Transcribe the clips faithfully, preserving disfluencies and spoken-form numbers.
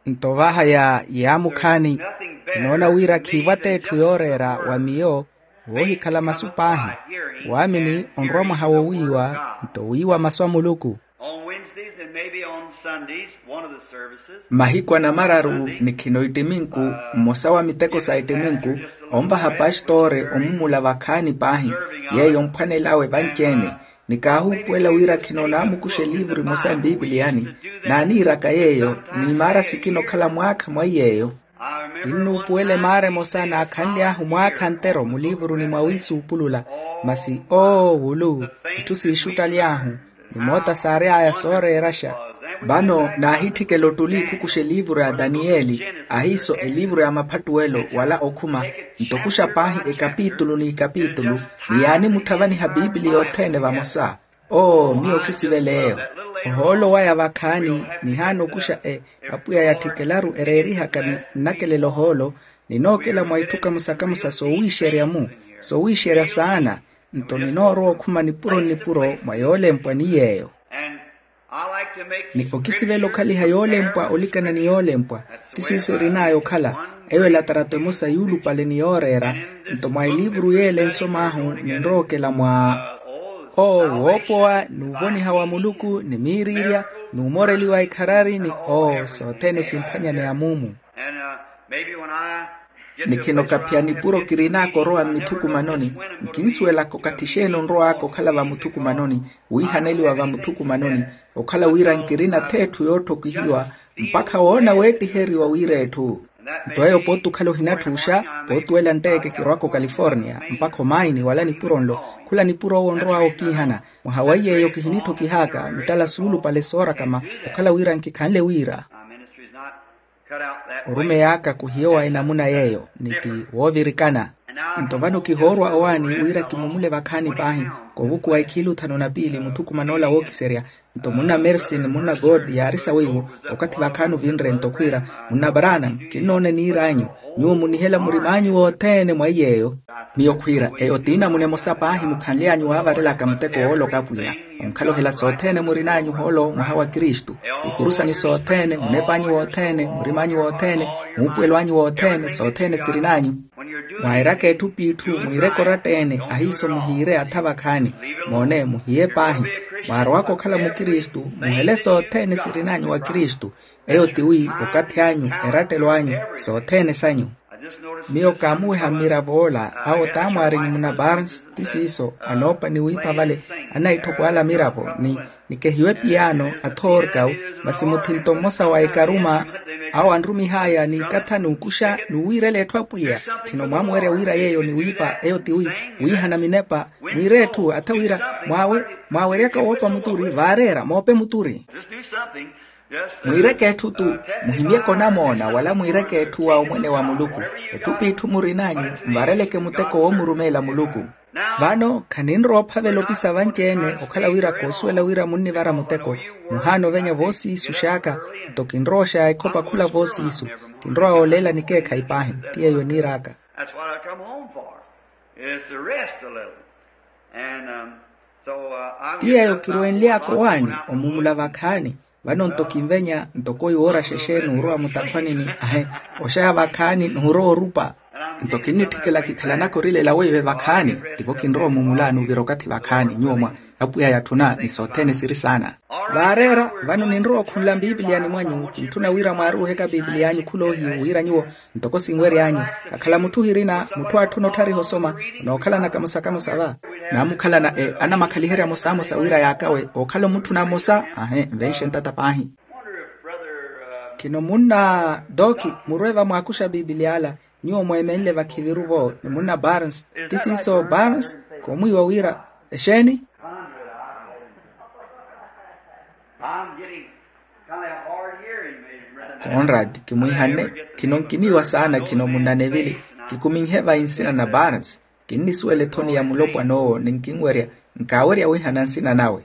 Nto vahaya yaamukhaani, kinoona wira khiivatta etthu yooreera wa miyo woohikhala masu paahi. Waamini onrwa mwaha wowiiwa nto wiiwa masu a muluku. Mahiku anamararu ni khino ittiminku, mmosa wa miteko sa ittiminku onvaha pastoori omumula vakhaani paahi, yeeyo mphwanelawe vanci-ene. Ni kaahuupuwela wira khino naamukuxa eliivuru emosa mpipiliyani. Naaniiraka yeeyo, ni maara sikina okhala mwaakha mwa iy'eyo. Kinnuupuwela emaara emosa naakhanly'ahu mwaakha ntero muliivuruni mwa wiisuupulula. Masi oo wulu, itthu siixuttaly'ahu, ni moota saary'aya sooreeraxa. Vano naahitthikela ottuli khukuxa eliivuru ya daniyeli, ahiiso eliivuru ya maphattuwelo wala okhuma, nto okuxa paahi ekapitulu n'ikapitulu, ni yaanimutthavaniha pipiliya othene vamosa. Oo miyo khisiveleeyo. Ohoolo waya vakhaani, nihaana okuxa e apwiya yatthikelaru ereerihaka ni nnakelela ohoolo, ninookela mwa itthu kamusa-kamusa soowiixerya-mu, soowiixerya saana. Nto ninoorowa okhuma nipuro-nnipuro mwa yoolempwa ni yeeyo. Ni okisivela okhaliha yoolempwa olikana ni yoolempwa, ti siiso erin'aya okhala. Eyo elatarato emosa yuulupale ni yooreera. Nto mwa eliivuru y'ele nsom'ahu ninrowa okela mwa oo woopowa n'uvoniha wa muluku ni miiriirya n'umoreliwa ikharari ni oo sothene simphwanyaneya muumu. Ni khino kaphiya nipuro kirin'aka orowa mmithukumanoni, nkinsuwelaka okathi xeeni onrow'aka okhala vamuthukumanoni, wiihaneliwa vamuthukumanoni, okhala wira nkirina ath'etthu yootthokihiwa mpakha woona weettiheriwa wira etthu. Nto eyo pooti okhala ohinatthuuxa, pootuwela ntteke kirwaka okaliforniya mpakha omaini wala nipuro nlo. Khula nipuro owo onrow'awe okiihana. Mwaha wa iy'eyo kihinitthokihaaka mittala suulupale soorakama okhala wira nkikhanle wira orumeyi aka khuhiyowa enamuna yeeyo ni ti woovirikana. Nto vano kihoorwa owaani wira kimumule vakhaani paahi, koovukuwa ekhiilu thanu na piili muthukuman'ola wookiserya. Nto munna mersi ni munna gold yaari sawiiwo okathi vakhaani ovinre nto khwiira, munna branham, kinnoona eniir'anyu. Nyuwo munihela murim'anyu wothene mwa iy'eyo. Miyo khwiira eyo t'inamuna emosa paahi mukhanly'anyu waavarelaka muteko wooloka apwiya. Onkhala ohela sothene murin'anyu ohoolo mwaha wa kristu. Ikuru sanyu sothene munep'anyu wothene murim'anyu wothene, muupuwelo anyu wothene sothene sirin'anyu. Mwairaka etthu p'itthu mwiireke oratta-ene ahiiso muhiire atha vakhaani. Moone muhiye paahi. Mwaarowaka okhala mukristu muhele sothene sirin'anyu wa kristu. Eyo tiwi okathi anyu, erattelo anyu, sothene sanyu. Miyo kaamuweha mmirav'ola awo t'amwaari ni munna barnes ti siiso anoopa ni wiipa vale. Anaitthoko ala miravo ni nikehiwe piyaano athoorkawu. Masi muthinto mmosa wa ekaruma awo anrumih'aya n'ikatha n'ukuxa n'uwiirela etthu apwiya. Khino mwaamuwerya wira yeeyo ni wiipa eyo tiwi wiihana minepa. Mwiire etthu atha wira mwaaweryaka woopa muturi vaareera moope muturi. Mwiireke etthu tu, muhimyeke onamoona wala mwiireke etthu wa omwene wa muluku. Etthu p'itthu murin'anyu nvareleke muteko woomurumeela muluku. Vano khaninrowa ophavela opisa vanci-ene okhala wira koosuwela wira munnivara muteko. Muhaana ovenya voosiisux'aka. Nto kinrowa oxaya ekhopa khula voosiisu. Kinrowa wooleela nikeekhayi paahi. Ti yeeyo eniir'aka. That's what I come home for, is to rest a little. And um, so uh, I'm ti yeeyo kiruwenly'aka owaani omumula vakhaani. Vano nto kinvenya ntoko iwooraxa exeeni orowa mutakhwanini ahe oxaya vakhaani n'urowa orupa. Nto kinnitthikela kikhalanaka orilela weive vakhaani. Tivo kinrowa omumula n'uvira okathi vakhaani nyuwo mwa apwiya yatthuna ni sothene siri saana. Vaareera vano ninrowa okhunla mpipiliyani mwanyu kintthuna wira mwaaruuheke apipiliy'anyu khuloohiyu wira nyuwo ntoko sinwery'anyu. Akhala mutthu ohirina mutthu aatthuna otthariha osoma. Onookhalana kamosa kamosa va naamukhalana anamakhaliherya mosamosa wira yaakawe ookhala omutthuna mmosa. Ahe nvenxe ntata paahi. Khino munna dooki murwe vamwaakuxa pipiliy'ala. Nyuwo mweemenle vakhiviru-vo ni munna barnes ti siiso barnes koomwiiwa wira exeeni? Conrad kimwiihanne. Khino nkiniiwa saana khino munna nevili. Kikuminhe vayi nsina na barnes. Kinnisuwela ethoni ya mulopwan'owo ni nkinwerya nkaawerya wiihana nsina nawe.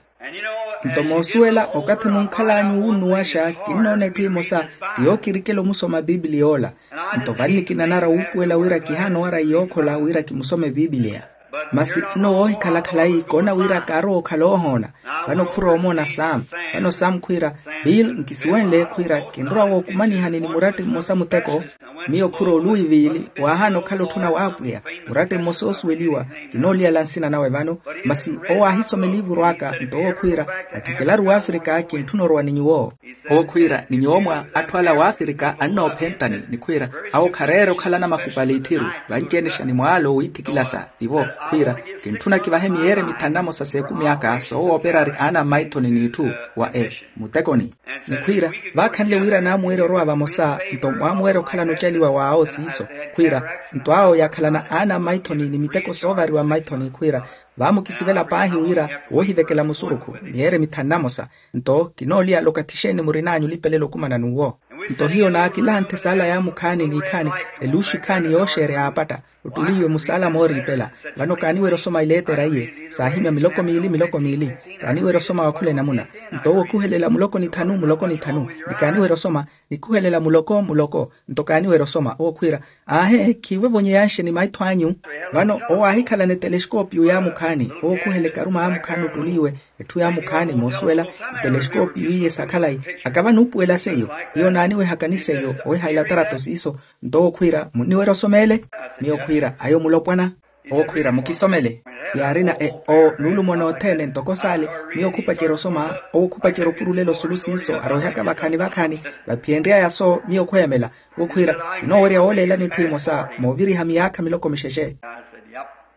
Nto moosuwela okathi munkhal'anyu wuunnuwaxa kinnoona etthu emosa ti yookirikela omusoma pipiliy'ola. Nto vannikinanara wuupuwela wira kihaana owara yookhola wira kimusome pipiliya. Masi nno woohikhala khalayi koona wira kaarowa okhala oohoona. Vano khuroomoona samu. Vano samu khwiira Bill, nkisuwenle khwiira kinrowa wookumanihani ni muratti mmosa muteko. Miyo khuro oluwi viili waahaana okhala otthuna w'apwiya. Muratti mmosa oosuweliwa, kinooliyala nsina nawe vano. Masi owo aahisoma eliivuru aka nto owo khwiira, atthikelaru w'afrika kintthuna orowa ni nyuwo. Owo khwiira ni nyuwo mwa atthu ala w'afrika annoophentani ni khwiira, awo khareera okhala anamakupali ithiru. Vanci-ene xani mwaala owiithikilasa tivo khwiira, kintthuna kivahe miyeere mithanu namosa s'ekumi aka soowooperari aana mmaithoni n'itthu wa e muttekoni. Ni khwiira, vaakhanle wira naamuwerya orowa vamosa nto mwamuwerya okhalana ocaliwa w'awo siiso. Khwiira, nto awo yaakhalana aana mmaithoni ni miteko soovariwa mmaithoni khwiira, vaamukisivela paahi wira woohivekela musurukhu miyeere mithanu namosa. Nto kinooliyala okathi xeeni murin'anyu olipelela okumana n'uwo. Nto hiyo naakilanthe saala yaamukhaani n'ikhaani, eluxu ikhaani yooxeerya yaapatta, ottuliiwe musaala mooriipela. Vano kaaniwerya osoma ileetera iye saahimya miloko miili miloko miili. Kaaniwerya osoma wa khula enamuna. Nto owo okhuhelela muloko ni thanu muloko ni thanu. Ni kaaniwerya osoma, nikhuhelela muloko muloko. Nto kaaniwerya osoma owo khwiira, aahe khiivo evonyeyanxe ni maitho anyu. Vano owo aahikhalana eteleskoopiyu yaamukhaani owo okhuhela ekaruma yaamukhaani ottuliiwe. Etthu yaamukhaani moosuwela, eteleskoopiyu iye sa khalayi. Akava nuupuwela seiyo, hiyo naaniwehaka ni seiyo oweha ilatarato siiso. Nto owo khwiira munniwerya osoma ele? Miyo khwiira ayo mulopwana. Owo khwiira mukisomele. Yaarina e o nuulumona othene ntoko saale. Miyo khupacerya osoma owo khupacerya opurulela osulu siiso arowihaka vakhaani vakhaani. Vaphiyenry'aya so miyo khweyamela. Owo khwiira, kinoowerya wooleelani etthu emosa mooviriha miyaakha miloko mixexe.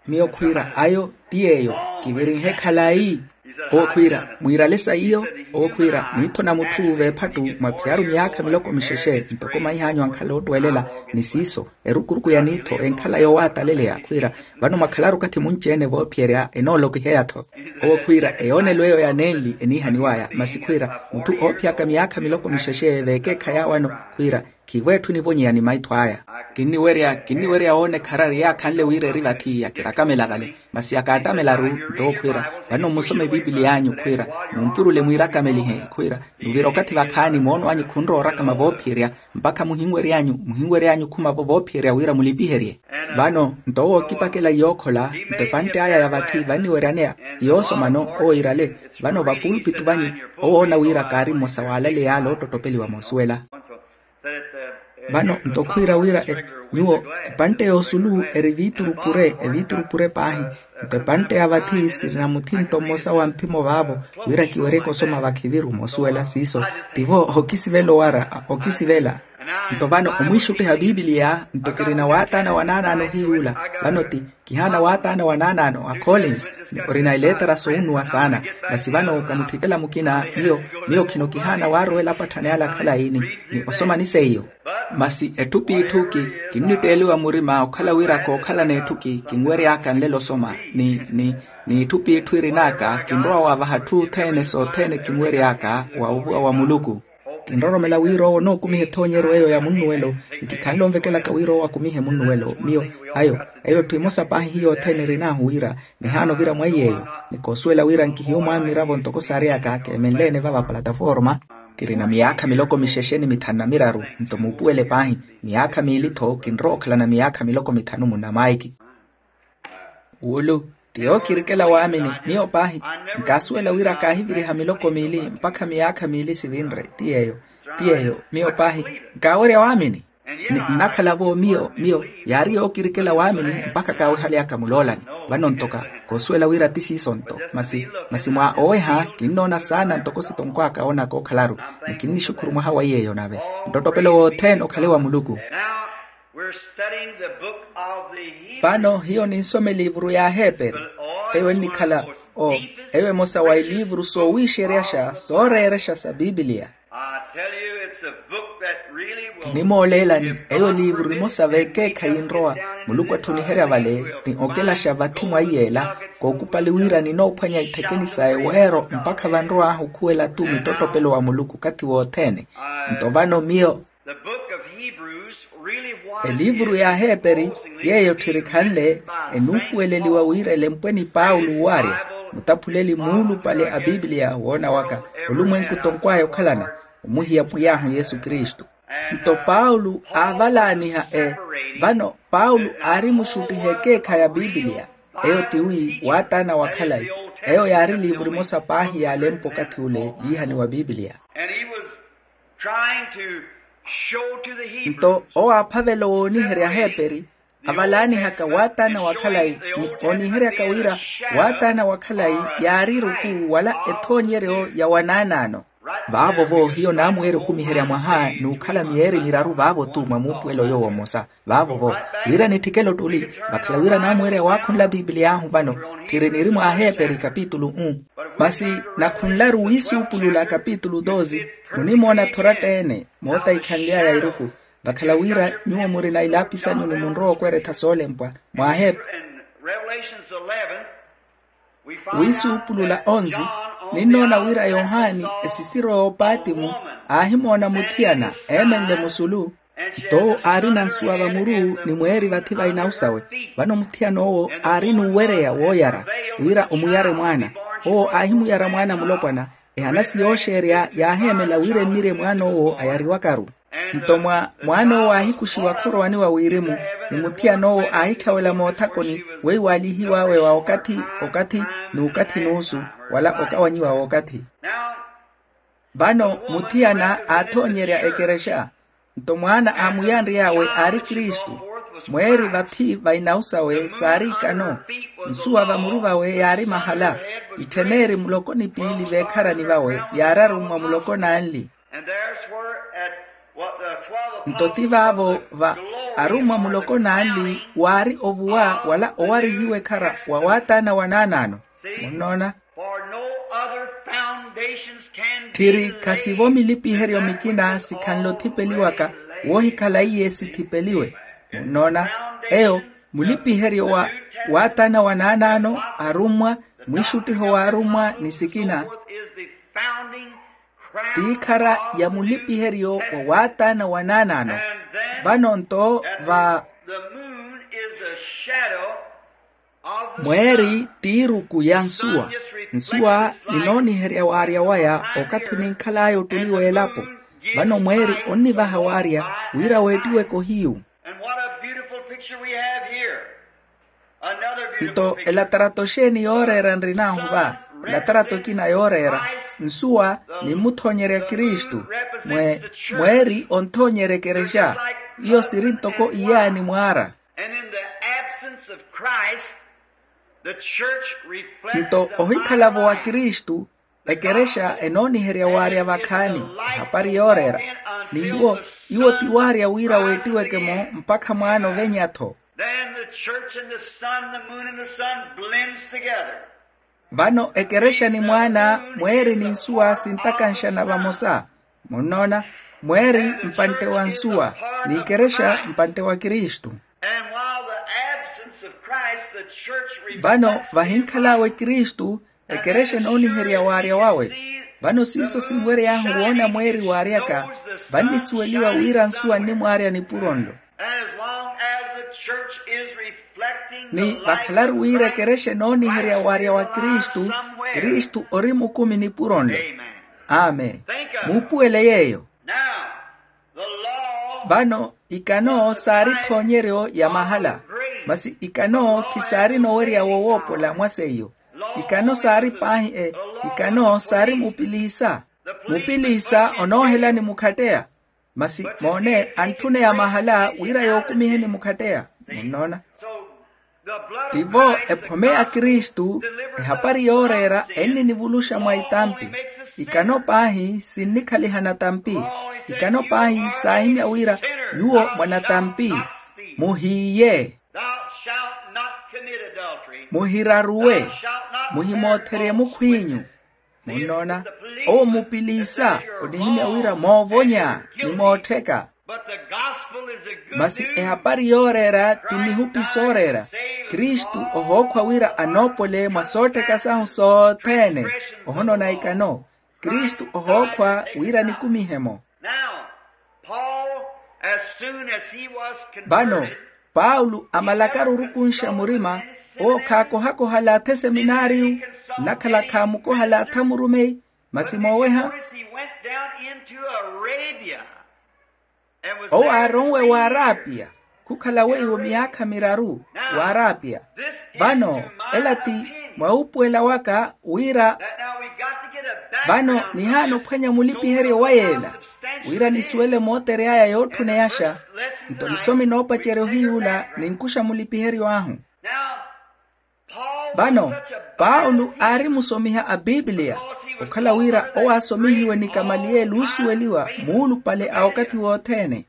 Miyo khwiira ayo ti yeeyo kivirinhe khalayi. Owo khwiira mwiirale sa iyo. Owo khwiira miitho na mutthu veephattu mwaphiyaru miyaakha miloko mixexe ntoko maih'anyu ankhala ottweelela. Ni siiso erukuruku ya niitho enkhala yoowataleleya khwiira, vano mwakhalaru okathi munci-ene voophiyerya enoolokiheya-tho. Owo khwiira eyoonelo eyo ya nenli eniihaniw'aya masi khwiira mutthu oophiyaka miyaakha miloko mixexe veekeekha yaawano khwiira khiivo etthu enivonyeya ni maitho aya. Kinniwerya kinniwerya woona ekharari yaakhanle wira eri vathi yakirakamela vale. Masi akaattamelaru nto owo khwiira, vano mmusome epiipiliya anyu khwiira, mumpurule mwiirakamelihe khwiira, nuvira okathi vakhaani moono anyu khunrowa orakama voophiyerya mpakha muhinwery'anyu muhinwery'anyu khumavo voophiyerya wira mulipiherye. Vano nto owo ookipakela yookhola nto epantte aya ya vathi vanniweryaneya yoosomano owo iirale. Vano vapuulpitu vanyu owo oona wira kaari mmosa w'alale yaala oottottopeliwa moosuwela. Vano nto khwiira wira nyuwo epantte y'osulu eri viituru pure eviituru pure paahi. Nto epantte ya vathi sirina muthinto mmosa wa mphimo vaavo wira kiweryeke osoma vakhiviru moosuwela siiso. Tivo okisivela owara okisivela. Nto vano omwiixuttiha piipiliya nto kirina waataana wa naanaano ohiyuula. Vano ti kihaana waataana wa naanaano a collins ni orina ileetera soonuwa saana. Masi vano kamutthikela mukina miyo miyo khino kihaana waarowela apatthani ale akhalayi ni osoma ni seiyo. Masi etthu p'itthu ki kinnitteeliwa murima okhala wira kookhalana etthu ki kinwery'aka nlelo osoma ni ni n'itthu p'itthu irin'aka kinrowa waavaha atthu othene sothene kinwery'aka wa ovuwa wa muluku. Kinroromela wira owo onookumiha ethoonyeryo eyo ya munnuwelo. Nkikhanle onvekelaka wira owo akumihe munnuwelo miyo ayo eyo etthu emosa paahi hiyo othene erin'ahu wira nihaana ovira mwa iy'eyo. Ni koosuwela wira nkihiyo mwamiravo ntoko saareyaka keemenle-ene vava plataforma. Kirina miyaakha miloko mixexe ni mithanu na miraru nto muupuwele paahi miyaakha miili-tho kinrowa okhalana miyaakha miloko mithanu munna maiki. Wulu ti yookirikela waamini miyo paahi nkaasuwela wira kaahiviriha miloko miili mpakha miyaakha miili sivinre ti yeeyo. Ti yeeyo miyo paahi nkaawerya waamini. Ni nnakhala-vo miyo miyo yaari yookirikela waamini mpakha kaawehaly'aka muloolani. Vano ntoka koosuwela wira ti siiso nto masi masi mwa oweha kinnoona saana ntoko sitonkw'aka oonaka okhalaru. Ni kinnixukhuru mwaha wa yeeyo nave ntottopelo wothene okhale wa muluku. Vano hiyo ninsoma eliivuru y'aheeperi eyo ennikhala o eyo emosa wa eliivuru soowiixeryaxa sooreerexa sa piipiliya. Kinimooleelani eyo eliivuru emosa veekeekhayi nrowa muluku atthuniherya vale ni okelaxa vathi mwa iyeela kookupali wira ninoophwanya ithekeni sa eweero mpakha vanrowahu okhuwela-tu mittottopelo wa muluku okathi wothene. Nto vano miyo eliivuru y'aheeperi yeeyo tthirikhanle enuupuweleliwa wira elempwe ni paulo owaarya mutaphuleli muulupale a piipiliya woona waka olumwenku tonkw'aya okhalana omuhiya pwiy'ahu yesu kristu. Nto paulo aavalaaniha e vano paulo aari muxuttiha ekeekhayi a piipiliya eyo tiwi waataana wa khalayi. Eyo yaari eliivuru emosa paahi yaalempa okathi ule yiihaniwa piipiliya. Trying to show to the Hebrews. Nto owo aaphavela wooniherya aheeperi avalaanihaka waataana wa khalayi, ni ooniheryaka wira waataana wa khalayi yaari eruku wala ethoonyeryo ya wanaanaano. Vaavo-vo hiyo naamweerya okumiherya mwaha n'ukhala miyeeri miraru vaavo-tu mwa muupuwelo yoowo mmosa. Vaavo-vo wira nitthikele ottuli, vakhala wira naamweerya waakhunla pipiliya ahu vano. Tthiri niri mwa aheeperi kapitulu um. Masi nakhunlaru wiisuupulula kapitulu doze. Munimoona thoratta-ene mootaikhanly'aya iruku. Vakhala wira nyuwo murina ilaapi sanyu ni munrowa okweretha soolempwa mwa aheeperi. Wiisuupulula onze. Ninnoona wira yohani esisiro y'opaatimu aahimoona muthiyana eemenle musulu. Nto owo aarina nsuwa vamuru ni mweeri vathi va inausawe. Vano muthiyana owo aari n'uwereya wooyara wira omuyare mwaana. Owo aahimuyara mwaana mulopwana. Ehanasi yooxeerya yaaheemela wira emmirye mwaan'owo ayariwakaru. Nto mwa mwaan'owo aahikuxiwa khorowani wa wirimu, ni muthiyan'owo aahitthawela moothakoni weiwaalihiw'awe wa okathi okathi n'ukathi n'usu, wala okawanyiwa w'okathi. Vano muthiyana aathoonyerya ekerexa. Nto mwaana aamuyanry'awe aari kristu. Mweeri vathi va inausawe saari ikano. Nsuwa vamuru vawe yaari mahala. Itthen'eri muloko ni piili veekharani vawe yaari arummwa muloko n'anli. Nto ti vaavo va arummwa muloko n'anli waari ovuwa wala owarihiwa ekhara wa waataana wa naanaano. Munnoona? Tthiri khasivo milipiheryo mikina sikhanle othipeliwaka woohikhala iye sithipeliwe. Munnoona? Eyo mulipiheryo wa waataana wa naanaano, arummwa, mwiixuttiho w'arummwa ni sikina. T'ikhara ya mulipiheryo wa waataana wa naanaano. Vano nto va mweeri t'iruku ya nsuwa. Nsuwa ninooniherya waarya waya okathi ninkhal'aya ottuli w'elapo. Vano mweeri onnivaha waarya wira weettiweke ohiyu. Nto elatarato xeeni yooreera nrin'ahu va? Elatarato ekina yooreera nsuwa, nimmuthonyerya kristu. Mweeri onthonyerya ekerexa. Iyo siri ntoko iyaani mwaara. Nto ohikhala-vo wa kristu, ekerexa enooniherya waarya vakhaani ehapari yooreera. Ni iwo iwo ti waarya wira weettiweke-mo mpakha mwaana ovenya-tho. Vano ekerexa ni mwaana, mweeri ni nsuwa sintakanxana vamosa. Munnoona? Mweeri mpantte wa nsuwa, n'ikerexa mpantte wa kristu. Vano vahinkhal'awe kristu, ekerexa enooniherya waarya wawe. Vano siiso sinwery'ahu woona mweeri waaryaka. Vannisuweliwa wira nsuwa nnimwaarya nipuro nlo. Ni vakhalaru wira ekerexa enooniherya waarya wa kristu, kristu ori mukumi nipuro nlo. Amen. Muupuwele yeeyo. Vano ikano saari ethoonyeryo ya mahala. Masi ikano khisaari noowerya wowoopola mwa seiyo. Ikano saari paahi e ikano saari mupiliisa. Mupiliisa onoohelani mukhatteya. Masi moone antthuneya mahala wira yookumiheni mukhatteya. Munnoona? Tivo ephome ya kristu. Ehapari yooreera enninivuluxa mwa itampi. Ikano paahi sinnikhalihana tampi. Ikano paahi saahimya wira nyuwo mwanatampi. Muhiiye. Muhiraruwe. Muhimootherye mukhw'inyu. Munnoona? Owo mupiliisa onihimya wira moovonya ni moottheka. Masi ehapari yooreera ti mihupi sooreera. Kristu ohookhwa wira anoopole mwa soottheka sahu sothene. Ohonoona ikano. Kristu ohookhwa wira nikumihe-mo. Vano paulo amalakaru orukunxa murima, owo khaakohakoha alaatha eseminaariyu. Nnakhala khaamukoha alaatha murumeyi. Masi mooweha, owo aaronwe waarapia. Khukhala weiwo miyaakha miraru waarapia. Vano ela ti Mwa wuupuwela waka wira vano nihaana ophwanya mulipiheryo wa yeela, wira nisuwele mootery'aya yootthuneyaxa. Nto nisomi noopacerya ohiy'ula ninkuxa mulipiheryo ahu. Vano paulo aari musomiha a pipiliya, okhala wira owo aasomihiwe ni kamaliyeli oosuweliwa muulupale a okathi wothene.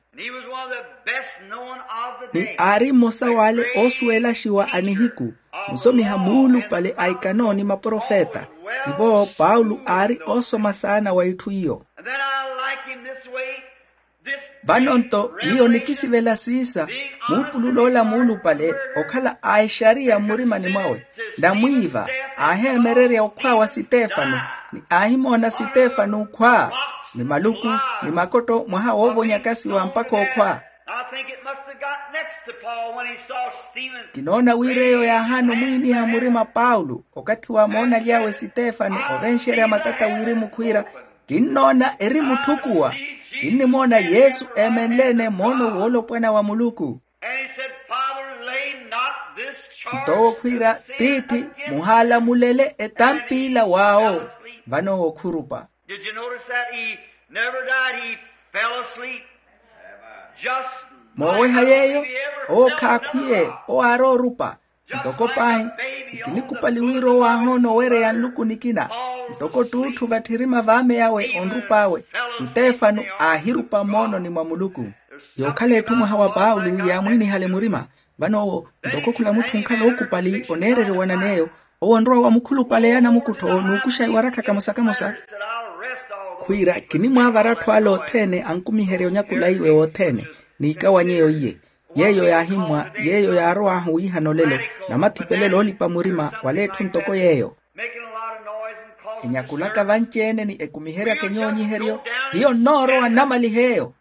Ni aari mmosa w'ale oosuwelaxiwa a nihiku, musomiha muulupale a ikano ni maprofeta. Tivo paulo aari oosoma saana wa itthu iyo. Vano-nto miyo nikisivela siisa, muupulul'ola muulupale okhala a exariya mmurimani mwawe, namwiiva, aaheemererya okhwa wa sitefano, ni aahimoona sitefano okhwa, ni maluku, ni makotto mwaha woovonyakasiwa mpakha okhwa. Kinoona wira eyo yaahaana omwiiniha murima paulo okathi waamoonaly'awe sitefano ovenxerya matata wirimu khwiira, kinnoona eri mutthukuwa. Kinnimoona yesu eemenle-ene moono woolopwana wa muluku. Nto owo khwiira, tiithi, muhaalamulele etampiila w'awo. Vano owo khurupa. Mooweha yeeyo, owo khaakhwiye, owo aari orupa. Ntoko paahi, nkinikupali wira owo aahoona owereya nluku nikina. Ntoko ttuutthu vatthirima v'ame awe onrup'awe, sitefano aahirupa moononi mwa muluku. Yookhala etthu mwaha wa paulo yaamwiinihale murima. Vano owo, ntoko khula mutthu onkhala ookupali oneereriwa nan'eyo, owo onrowa wa mukhulupale ya namukuttho n'ukuxa iwarakha kamosa kamosa, khwiira kinimwaavara atthu ale othene ankumiherye onyakula iwe wothene, n'ikawany'eyo iye. Yeeyo yaahimmwa, yeeyo yaarow'ahu wiihana olelo, namathipelelo oolipa murima wala etthu ntoko yeeyo. Enyakulaka vanci-ene ni ekumiheryaka enyoonyiheryo, hiyo nnoorowa nnamalih'eyo.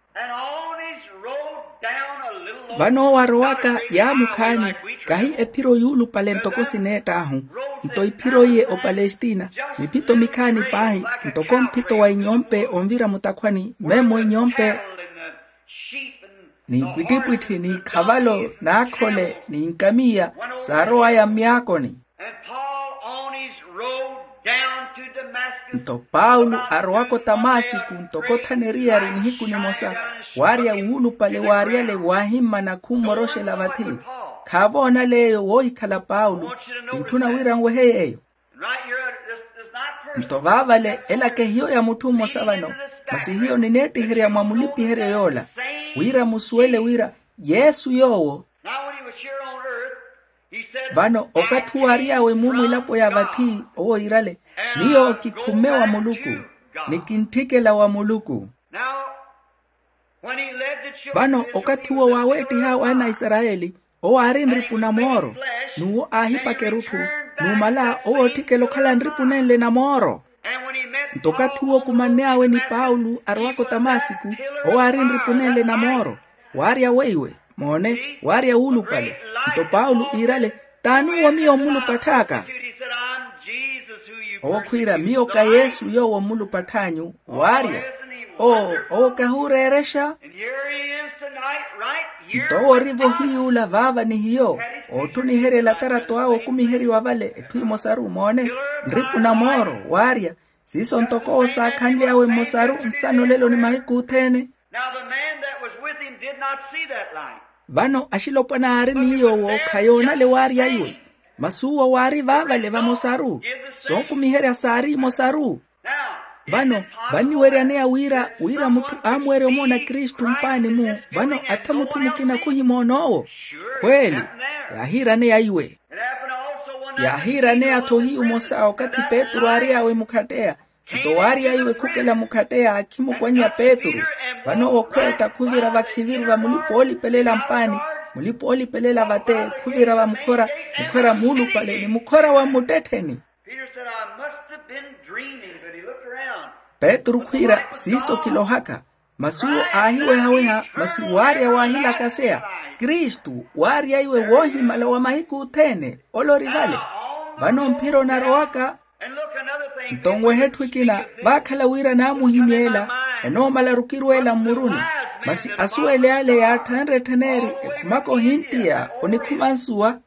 Vano owo arowaka yaamukhaani, kahi ephiro yuulupale ntoko sineett'ahu. Nto iphiro iye opalestina, miphito mikhaani paahi, ntoko mphito wa inyompe onvira mutakhwani memmo inyompe, ni mpwittipwitthi ni ikhavalo n'akhole ni nkamiya, saarow'aya myaakoni. Nto paulo arowaka otamasiku ntoko thanu eriyari nihiku nimosa, waarya wuulupale waaryale waahimmana khummoroxela vathi. Khaavoonale eyo woohikhala paulo. Nttuna wira nwehe yeeyo. Nto vaavale elaka ehiyo ya mutthu mmosa vano, masi hiyo nineettiherya mwa mulipiheryo yoola, wira musuwele wira yesu yoowo. Vano okathi owo aary'awe mumwilapo ya vathi owo iirale, miyo kikhumme wa muluku, ni kintthikela wa muluku. Vano okathi uwo waaweettih'awe ana a isarayeli, owo aari nripu na mooro, n'uwo aahipaka erutthu, numala owo ootthikela okhala nripu nenle na mooro. Nto okathi uwo okumanny'awe ni paulo arowaka otamasiku, owo aari nripu nenle na mooro, waarya weiwe, moone, waarya wuulupale. Nto paulo iirale, t'ani uwo miyo mmulupatth'aka? Owo khwiira, miyo ka yesu yoowo mmulupatth'anyu. Waarya, oo, owo kahuureerexa. Nto owo ori-vo hiy'ula vaava ni hiyo, ootthuniherya elatarato awe okumiheriwa vale etthu emosaru, moone, nripu na mooro, waarya. Siiso ntoko owo saakhanly'awe mmosaru nsana olelo ni mahiku othene. Vano axilopwana aari ni yoowo khayoonale waarya iwe, masi uwo waari vaavale vamosaru, sookumiherya saari emosaru. Vano vanniweryaneya wira wira mutthu aamuwerya omoona kristu mpaani-mu, vano atha mutthu mukina khuhimoon'owo. Khweeli, yaahiiraneya iwe. Yaahiiraneya-tho hiyu mmosa okathi petru aary'awe mukhatteya. Nto waarya iwe khukela mukhatteya akhimukwanya petru. Vano owo khweetta khuvira vakhiviru va mulipa oolipelela mpaani, mulipa oolipelela vate, khuvira va mukhora, mukhora muulupale ni mukhora wa mmuttettheni. Petru khwiira siiso kilohaka. Masi uwo aahiwehaweha masi waarya waahilakaseya, kristu waarya iwe woohimala wa mahiku othene. Ole ori vale. Vano mphira onarowaka. Nto nweha etthu ekina, vaakhala wira naamuhimyeela, enoomala arukirweela mmuruni. Masi asuwele ale yaatthanre etthaneeri ekhumaka ohintiya onikhuma nsuwa.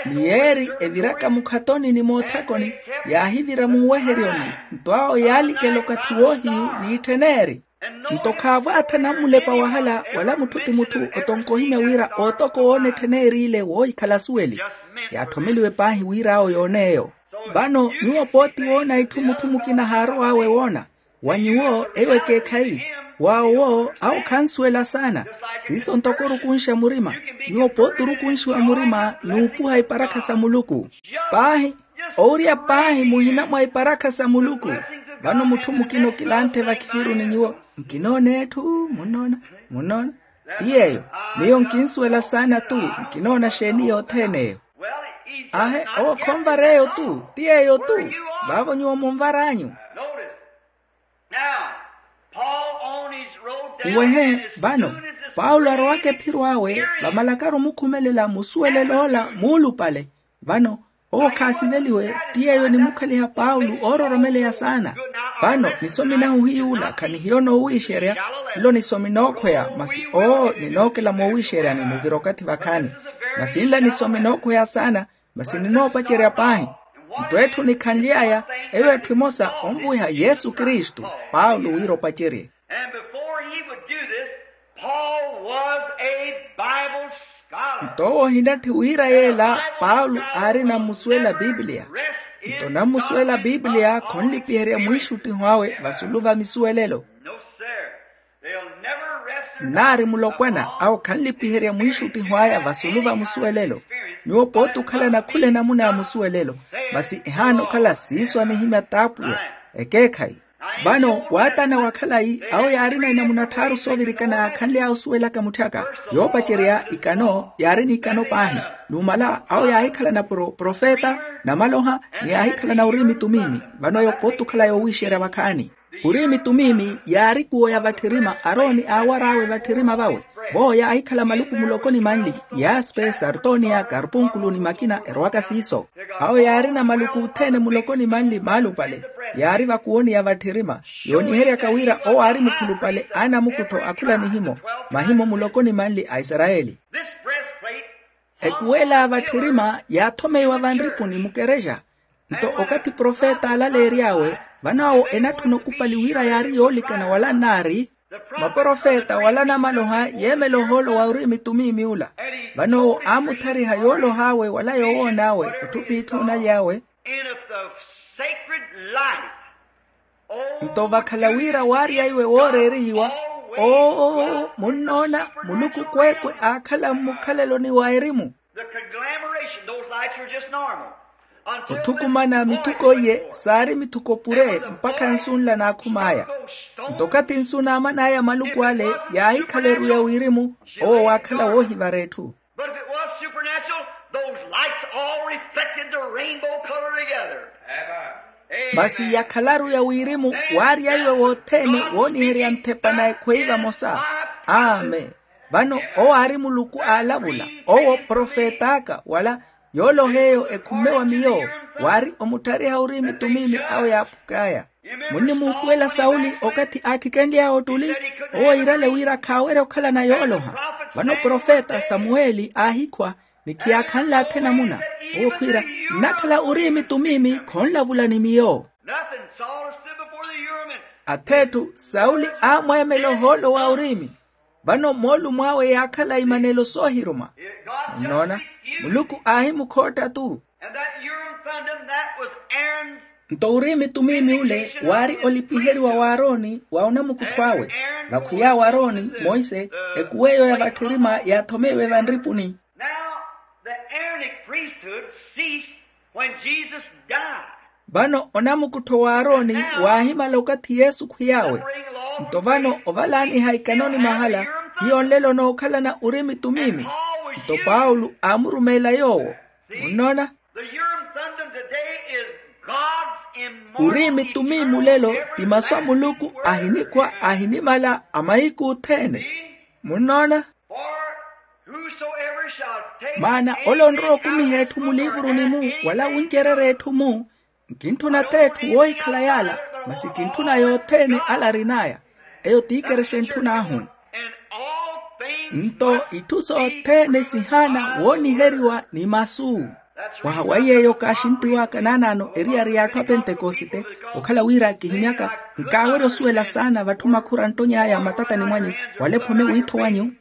Ni yeeri eviraka mukhatoni ni moothakoni, yaahivira munweheryoni. Nto awo yaalikela okathi woohiyu n'itthen'eri. Nto khaavwaatha nammulepa wahala wala mutthu ti mutthu otonka ohimya wira ootoko woona etthen'eri ile woohikhala asuweli. Yaatthomeliwe paahi wira awo yoon'eyo. Vano nyuwo pooti woona itthu mutthu mukina haarow'awe woona. Wa nyuwo eyo ekeekhayi. Waawo awo khansuwela saana. Siiso ntoko orukunxa murima. Nyuwo pooti orukunxiwa murima n'upuha iparakha sa muluku. Paahi, owurya paahi muhina mwa iparakha sa muluku. Vano mutthu mukina okilanthe vakhiviru ni nyuwo, nkinoona etthu munnoona. Munnoona. Ti yeeyo. Miyo nkinsuwela saana-tu. Nkinoona xeeni yothene eyo? Ahe, owo khonvareeyo-tu. Ti yeeyo-tu. Vaavo nyuwo munvar'anyu. Nwehe vano, paulo arowaka ephiro awe vamalakaru omukhumelela musuwelel'ola muulupale. Vano owo khaasiveliwe. Ti yeeyo enimukhaliha paulo oororomeleya saana. Vano nisomi nahu hiy'ula khanihiyo noowiixerya. Nlo nisomi nookhweya masi oo ninookela moowiixeryani nuvira okathi vakhaani. Masi nla nisomi nookhweya saana. Masi ninoopacerya paahi. Nto etthu nikhanly'aya, eyo etthu emosa onvuwiha yesu kristu. Paulo wira opacerye. And before he would do this, Paul was a Bible scholar. Nto owo ohinatthi wira yeela paulo aari nammusuwela pipiliya. Nto nammusuwela pipiliya khonlipiherya mwiixuttiho awe vasulu va misuwelelo. No sir. They'll never rest. Nnaari mulopwana awo khanlipiherya mwiixuttiho aya vasulu va musuwelelo. Nyuwo pooti okhalana khula enamuna ya musuwelelo. Masi ehaana okhala siiso anihimya t'apwiya. Ekeekhayi. Vano waatana wa khalayi awo yaarina enamuna tthaaru soovirikana yaakhanly'aya osuwelaka mutthaka. Yoopacerya ikano yaari n'ikano paahi. Numala awo yaahikhalana profeta namaloha ni yaahikhalana uriimi tumiimi. Vano eyo pooti okhala yoowiixerya vakhaani. Uriimi tumiimi yaari kuwo ya vatthirima arooni aawar'awe vatthirima vawe. Vowo yaahikhala maluku muloko ni manli, yaspe sartoniya karpunkulu ni makina erowaka siiso. Awo yaarina maluku othene muloko ni manli maalupale. Yaari vakuwoni ya vatthirima yooniheryaka wira owo aari mukhulupale a namukuttho akhula nihimo, mahimo muloko ni manli a isarayeli. Ekuwela a vatthirima yaathomeiwa vanripuni mukerexa. Nto okathi profeta alaleery'awe, vano awo enatthuna okupali wira yaari yoolikana wala nnaari maprofeta wala namaloha yeemela ohoolo wa uriimi tumiimi ula. Vano owo aamuthariha yoolow'awe wala yoowoon'awe otthupi itthu onaly'awe. And if the sacred light Nto vakhala wira waarya iwe wooreerihiwa. Oo munnoona, muluku kweekwe aakhala mmukhaleloni wa erimu. The conglomeration, those lights were just normal. Othukumana mithuko iye saari mithuko pure mpakha nsu nla naakhum'aya. Nto okathi nsu naaman'aya maluku ale yaahikhala eru ya wirimu. Owo waakhala woohivara etthu. But if it was supernatural, those lights all reflected the rainbow color together. Masi yakhalaru ya wirimu waarya iwe wothene wooniherya nthepa na ekhweyi vamosa. Amen. Vano owo aari muluku aalavula, owo profet'aka wala yooloha eyo ekhumme wa miyo. Waari omutthariha uriimi tumiimi awo yaapuk'aya. Munnimuupuwela sauli okathi aatthikenly'aya ottuli. Owo iirale wira khaawerya okhalana yooloha. Vano profeta samuweli aahikhwa ni khiyaakhanle athe namuna. Owo khwiira, nnakhala uriimi tumiimi khonlavula ni miyo. Ath'etthu sauli aamweemela ohoolo wa uriimi. Vano moolumo awe yaakhala imanelo soohiruma. Munnoona, muluku aahimukhootta-tu. Nto uriimi tumiimi ule waari olipiheriwa w'aroni wa onamukuttho awe. Vakhwiy'awe aroni monse, ekuw'eyo ya vatthirima yaathomeiwe vanripuni. Now the aaronic priesthood ceased when Jesus died. Vano onamukuttho w'aroni waahimala okathi yesu khwiy'awe. Nto vano ovalaaniha ikanoni mahala hiyo nlelo nookhalana uriimi tumiimi. Nto paulo aamurumeela yoowo. Munnoona? Uriimi tumiimi ulelo ti masu a muluku ahinikhwa ahinimala a mahiku othene. Munnoona? Maana ole onrowa okumiha etthu muliivuruni-mu wala wuncererya etthu-mu. Nkintthuna t'etthu woohikhala yaala, masi kintthuna yothene ala arin'aya. Eyo t'ikerexa entthun'ahu. Nto itthu sothene sihaana wooniheriwa ni masu. Mwaha wa iy'eyo kaaxinttiw'aka naanaano eriyari y'atthu a pentekosite, okhala wira kihimyaka nkaawerya osuwela saana vatthu makhura nttony'aya mmatatani mwanyu, wala ephome wiitho wanyu.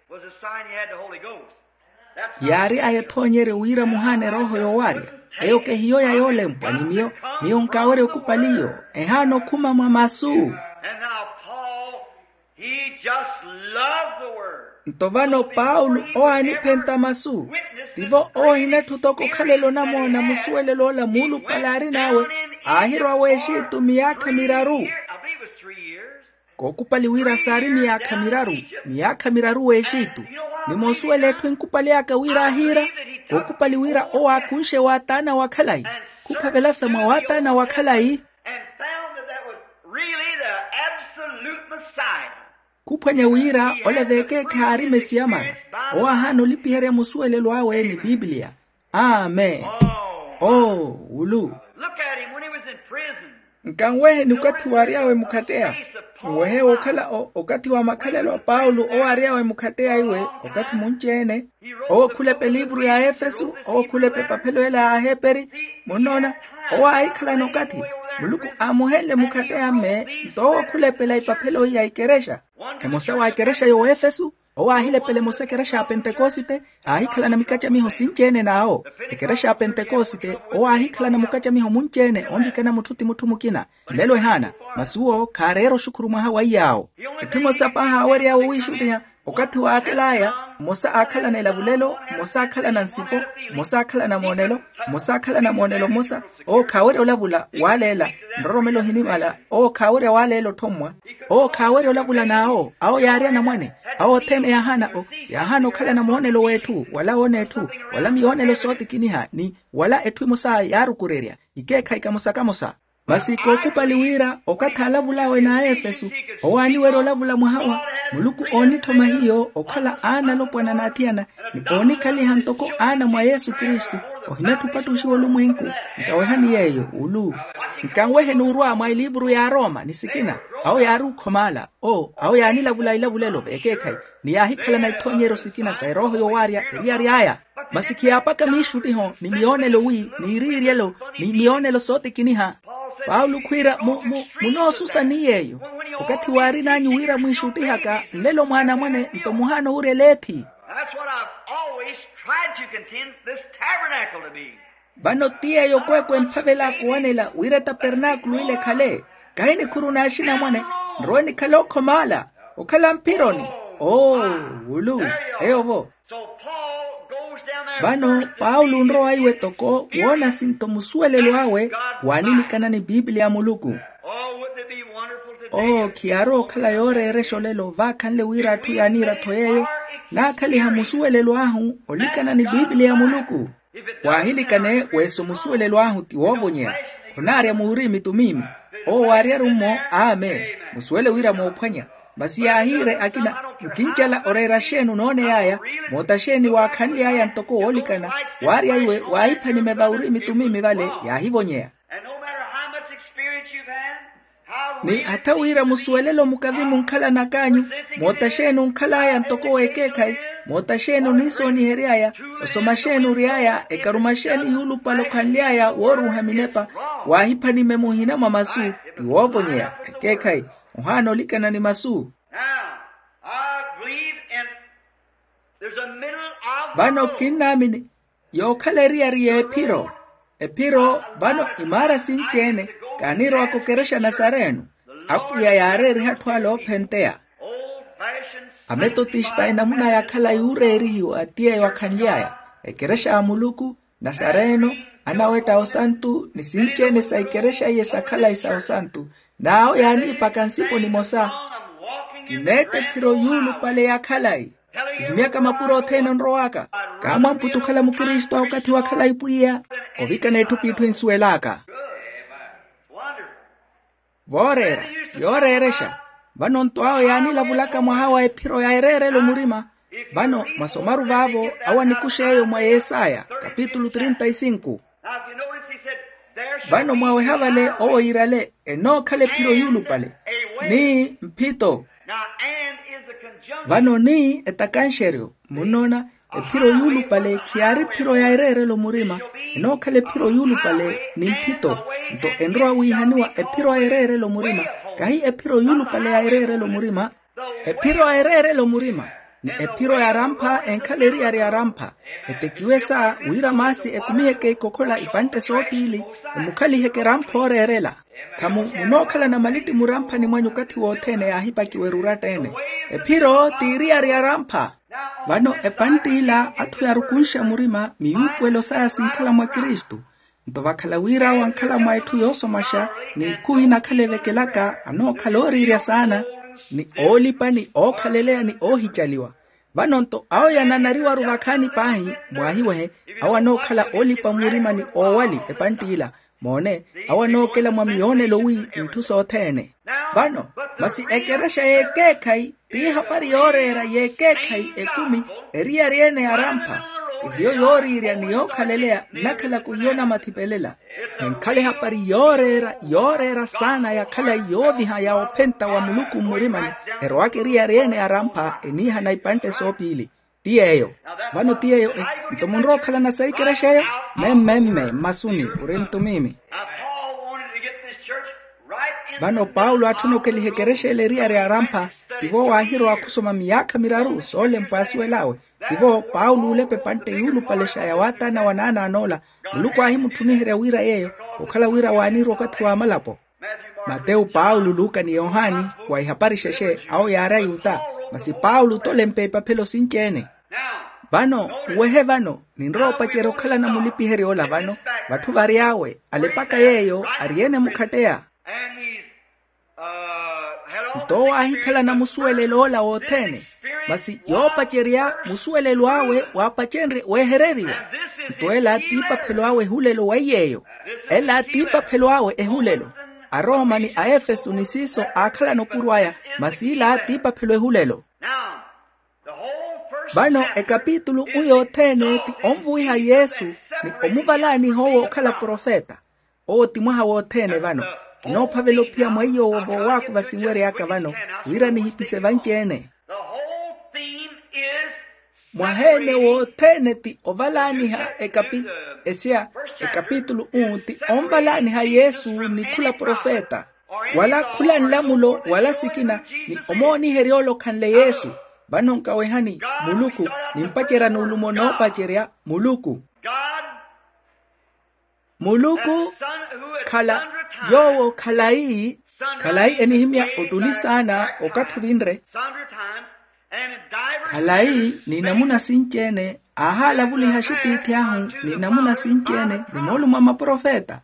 Yaari aya ethoonyeryo wira muhaana erooho yoowaarya. Eyo kehiyo ya yoolempwa ni miyo. Miyo nkaawerya okupali iyo. Ehaana okhuma mwa masu. Nto vano paulo owo aaniphenta masu, tivo owo ohinatthu toko okhalela onamoona musuwelelo ola muulupale aarin'awe. Aahirwa w'exitu miyaakha miraru. Kookupali wira saari miyaakha miraru. Miyaakha miraru w'exitu. Ni moosuwela etthu enkupali aka wira aahiira. Kookupali wira owo aakunxe waataana wa khalayi, khuphavelasa mwa waataana wa khalayi. Khuphwanya wira ole veekeekhayi aari mesiya mara. Owo aahaana olipiherya musuwelelo awe ni pipiliya. Amen. Oo wulu. Nkanweheni okathi waary'awe mukhatteya. Nwehe wokhala okathi wa makhalelo a paulo owo aary'awe mukhatteya iwe. Okathi munci-ene owo khulepa eliivuru ya efesu, owo khulepa epaphelo ela ya aheperi. Munnoona, owo aahikhalana okathi muluku aamuhenle mukhatteya mme. Nto owo khulepela epaphelo iya ikerexa. Emosa wa ikerexa y'oefesu, owo aahilepela emosa ekerexa ya pentekosite. Aahikhalana mikacamiho sinci-ene n'awo. Ekerexa ya pentekosite owo aahikhalana mukacamiho munci-ene onvikana mutthu ti mutthu mukina. Nlelo ehaana, masi uwo khaareera oxukhuru mwaha wa iy'awo. Etthu emosa paahi aawery'awe owiixuttiha. Okathi waakal'aya, mmosa aakhalana elavulelo, mmosa aakhalana nsipo, mmosa aakhalana moonelo, mmosa aakhalana moonelo mmosa. Owo khaawerya olavula waaleela. Nroromelo ohinimala owo khaawerya waaleela othommwa. Owo khaawerya olavula n'awo. Awo yaari anamwane. Awo othene yaahaana o yaahaana okhalana moonelo w'etthu wala woona etthu, wala miyoonelo sootikiniha ni wala etthu emosa yaarukurerya. Ikeekhayi kamosa kamosa. Masi kookupali wira okathi aalavul'awe n'aefesu, owo aaniwerya olavula mwaha wa muluku oonitthoma hiyo okhala aana alopwana n'athiyana, ni oonikhaliha ntoko aana mwa yesu kristu. Ohinatthu opattuxiwa olumwenku. Nkawehani yeeyo ulu. Nkanweheni orwa mwa eliivuru ya arooma ni sikina. Awo yaari okhomaala. Oo awo yaanilavula ilavulelo veekeekhayi, ni yaahikhalana ithoonyeryo sikina sa erooho yoowaarya eriyari aya. Masi khiyaapaka miixuttiho ni miyoonelo wi ni iriiryelo ni miyoonelo sootikiniha. Paulo khwiira munoosusa ni yeeyo. Okathi waarin'anyu wira mwiixuttihaka nlelo mwaanamwane nto muhaana owurya eleethi. That's what i've always tried to contend this tabernacle to be. Vano ti yeeyo kweekwe emphavel'aka owanela wira etapernaakulu ila ekhale. Kahi nikhuru n'axinamwane, nrowe nikhale okhomaala, okhala mphironi. Oo wulu. Eyo-vo. Vano paulo onrowa iwe toko woona sinto musuwelelo awe waaninikana ni pipiliya ya muluku. Oo khiyaarowa okhala yooreerexa olelo vaakhanle wira atthu yaaniira-tho yeeyo naakhaliha musuwelelo ahu olikana ni pipiliya ya muluku. Waahilikane weso musuwelelo ahu ti woovonyeya. Khunaarya muuriimi tumimi. Owo waaryaru-mmo amen. Musuwele wira moophwanya. Masi yaahiire akina nkincela oreera xeeni onooney'aya? Moota xeeni waakhanly'aya ntoko woolikana waarya iwe waahipha nimeva uriimi tumimi vale yaahivonyeya. Ni hatha wira musuwelelo mukavi munkhalanak'anyu moota xeeni onkhal'aya ntoko w'ekeekhayi, moota xeeni oniisoonihery'aya, osoma xeeni ory'aya ekaruma xeeni yuulupale okhanly'aya wooruuha minepa, waahipha nime muhina mwa masu ti woovonyeya. Ekeekhayi ohaana olikana ni masu. Vano kinnaamini yookhala eriyari y'ephiro. Ephiro vano imaara sinci-ene kaaniirowaka okerexa nasareno. Apwiya yaareeriha atthu ale oophenteya. Ametotista enamuna ya khalayi yuureerihiwa ti yeeyo akhanly'aya, ekerexa ya muluku, nasareno, anawetta a osantu ni sinci-ene sa ikerexa iye sa khalayi sa osantu. N'awo yaaniipaka nsipo nimosa. Kineetta ephiro yuulupale ya khalayi. Kihimyaka mapuro othene onrow'aka. Kaamwamputa okhala mukristu a okathi wa khalayi pwiya. Ovikana etthu p'itthu ensuwel'aka. Vooreera, yooreerexa. Vano nto awo yaanilavulaka mwaha wa ephiro ya ereerelo murima. Vano mwasomaru vaavo awo anikuxa eyo mwa yesaya kapitulu trinta y cinco. Vano mwaweha vale owo yiirale enookhala ephiro yuulupale ni mphito. Vano ni etakanxeryo munnoona. Ephiro yuulupale khiyaari ephiro ya ereerelo murima, enookhala ephiro yuulupale ni mphito. Nto enrowa wiihaniwa ephiro ya ereerelo murima, kahi ephiro yuulupale ya ereerelo murima. Ephiro ya ereerelo murima ni ephiro ya arampha enkhala eriyari ya arampha. Etekiwe sa wira maasi ekumiheke ikokhola ipantte soopiili, emukhaliheke erampha ooreerela. Khamu munookhalana malitti muramphani mwanyu okathi wothene yaahipakiwa eruratta-ene. Ephiro t'iriyari ya arampha. Vano epantt'ila atthu yaarukunxa murima miyuupuwelo saya sinkhala mwa kristu. Nto vakhala wira wankhala mwa etthu yoosomaxa, n'ikhu inakhala evekelaka anookhala ooriirya saana ni oolipa ni ookhaleleya ni oohicaliwa. Vano nto awo yananariwaru vakhaani paahi, mwaahiwehe, awo anookhala oolipa murima ni oowali epantt'ila. Moone, awo anookela mwa miyoonelo wi ntthu sothene. Vano masi ekerexa y'ekeekhayi t'ihapari yooreera y'ekeekhayi ekumi, eriyari ene ya arampha. Ti hiyo yooriirya ni yookhaleleya nnakhalaka ohiyo namathipelela. Enkhala ehapari yooreera yooreera saana ya khalayi yooviha ya ophenta wa muluku mmurimani, erowaka eriyari ene ya arampha eniihana ipantte soopiili. Ti yeeyo. Vano ti yeeyo. Nto munrowa okhalana sa ikerexa eyo? Memmemme mmasuni ori mtumimi. Vano paulo atthuna okeliha ekerexa ele eriyari ya arampha. Tivo waahirowa khusoma miyaakha miraru soolempwa asuwel'awe. Tivo paulo oolepa epantte yuulupalexa ya waataana wa naanaan'ola. Muluku aahimutthuniherya wira yeeyo, okhala wira waaniirwa okathi wa malapo. Matewu, paulo, luka ni yohani, wa ihapari xexe awo yaari ayuta. Masi paulo t'olempa epaphelo sinci-ene. Vano nwehe vano, ninrowa opacerya okhalana mulipiherya ola vano, vatthu variy'awe alepaka yeeyo, ari-ene mukhatteya. Nto owo aahikhalana musuwelelo ola wothene. Masi yoopacerya musuwelelo awe waapacenrye weehereriwa. Nto ela t'ipaphelo awe ehulelo wa iy'eyo. Ela t'ipaphelo awe ehulelo. Arooma ni aefeso ni siiso aakhalana opuro aya. Masi ila t'ipaphelo ehulelo. Vano ekapitulu u yothene ti onvuwiha yesu ni omuvalaaniha owo okhala profeta. Owo ti mwaha wothene vano. Kinoophavela ophiya mwa iy'owo voowaako vasinwery'aka vano, wira nihipise vanci-ene. Mwaha-ene wothene ti ovalaaniha ekapi esia ekapitulu u ti onvalaaniha yesu ni khula profeta, wala khula nlamulo wala sikina, ni omooniherya ole okhanle yesu. Vano nkawehani muluku, nimpacerya n'ulumo noopacerya muluku. Muluku khala yoowo khalayi khalayi enihimya ottuli saana okathi ovinre. Khalayi ni namuna sinci-ene aahalavuliha axitiithi ahu ni namuna sinci-ene ni moolumo a maprofeta.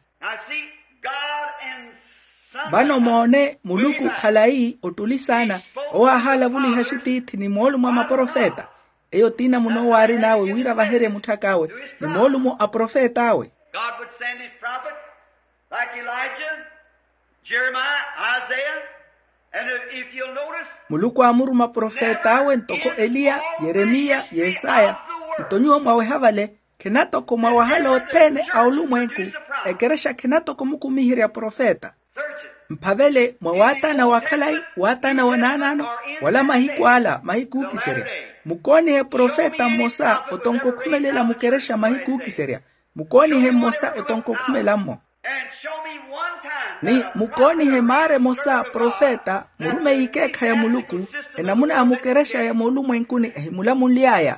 Vano moone muluku khalayi ottuli saana owo aahalavuliha axitiithi ni moolumo a maprofeta. Eyo ti namuna owo aarin'awe wira avaherye mutthak'awe ni moolumo a profet'awe. God would send his prophet like Elijah, Jeremiah, Isaiah, and if you'll notice, muluku aamuruma profet'awe ntoko eliya, yeremiya, yesaya. Nto nyuwo mwaweha vale khenatoko mwawahala othene a olumwenku. Ekerexa khenatoko mukumiherya profeta. Mphavele mwa waataana wa khalayi waataana wa naanaano, wala mahiku ala mahiku ookiserya. Mukoonihe profeta mmosa otonko okhumelela mukerexa mahiku ookiserya. Mukoonihe mmosa otonko okhumelammo. Ni mukoonihe maara emosa profeta murumeyi ikeekha ya muluku, enamuna ya mukerexa ya moolumwenkuni ehimulamunly'aya.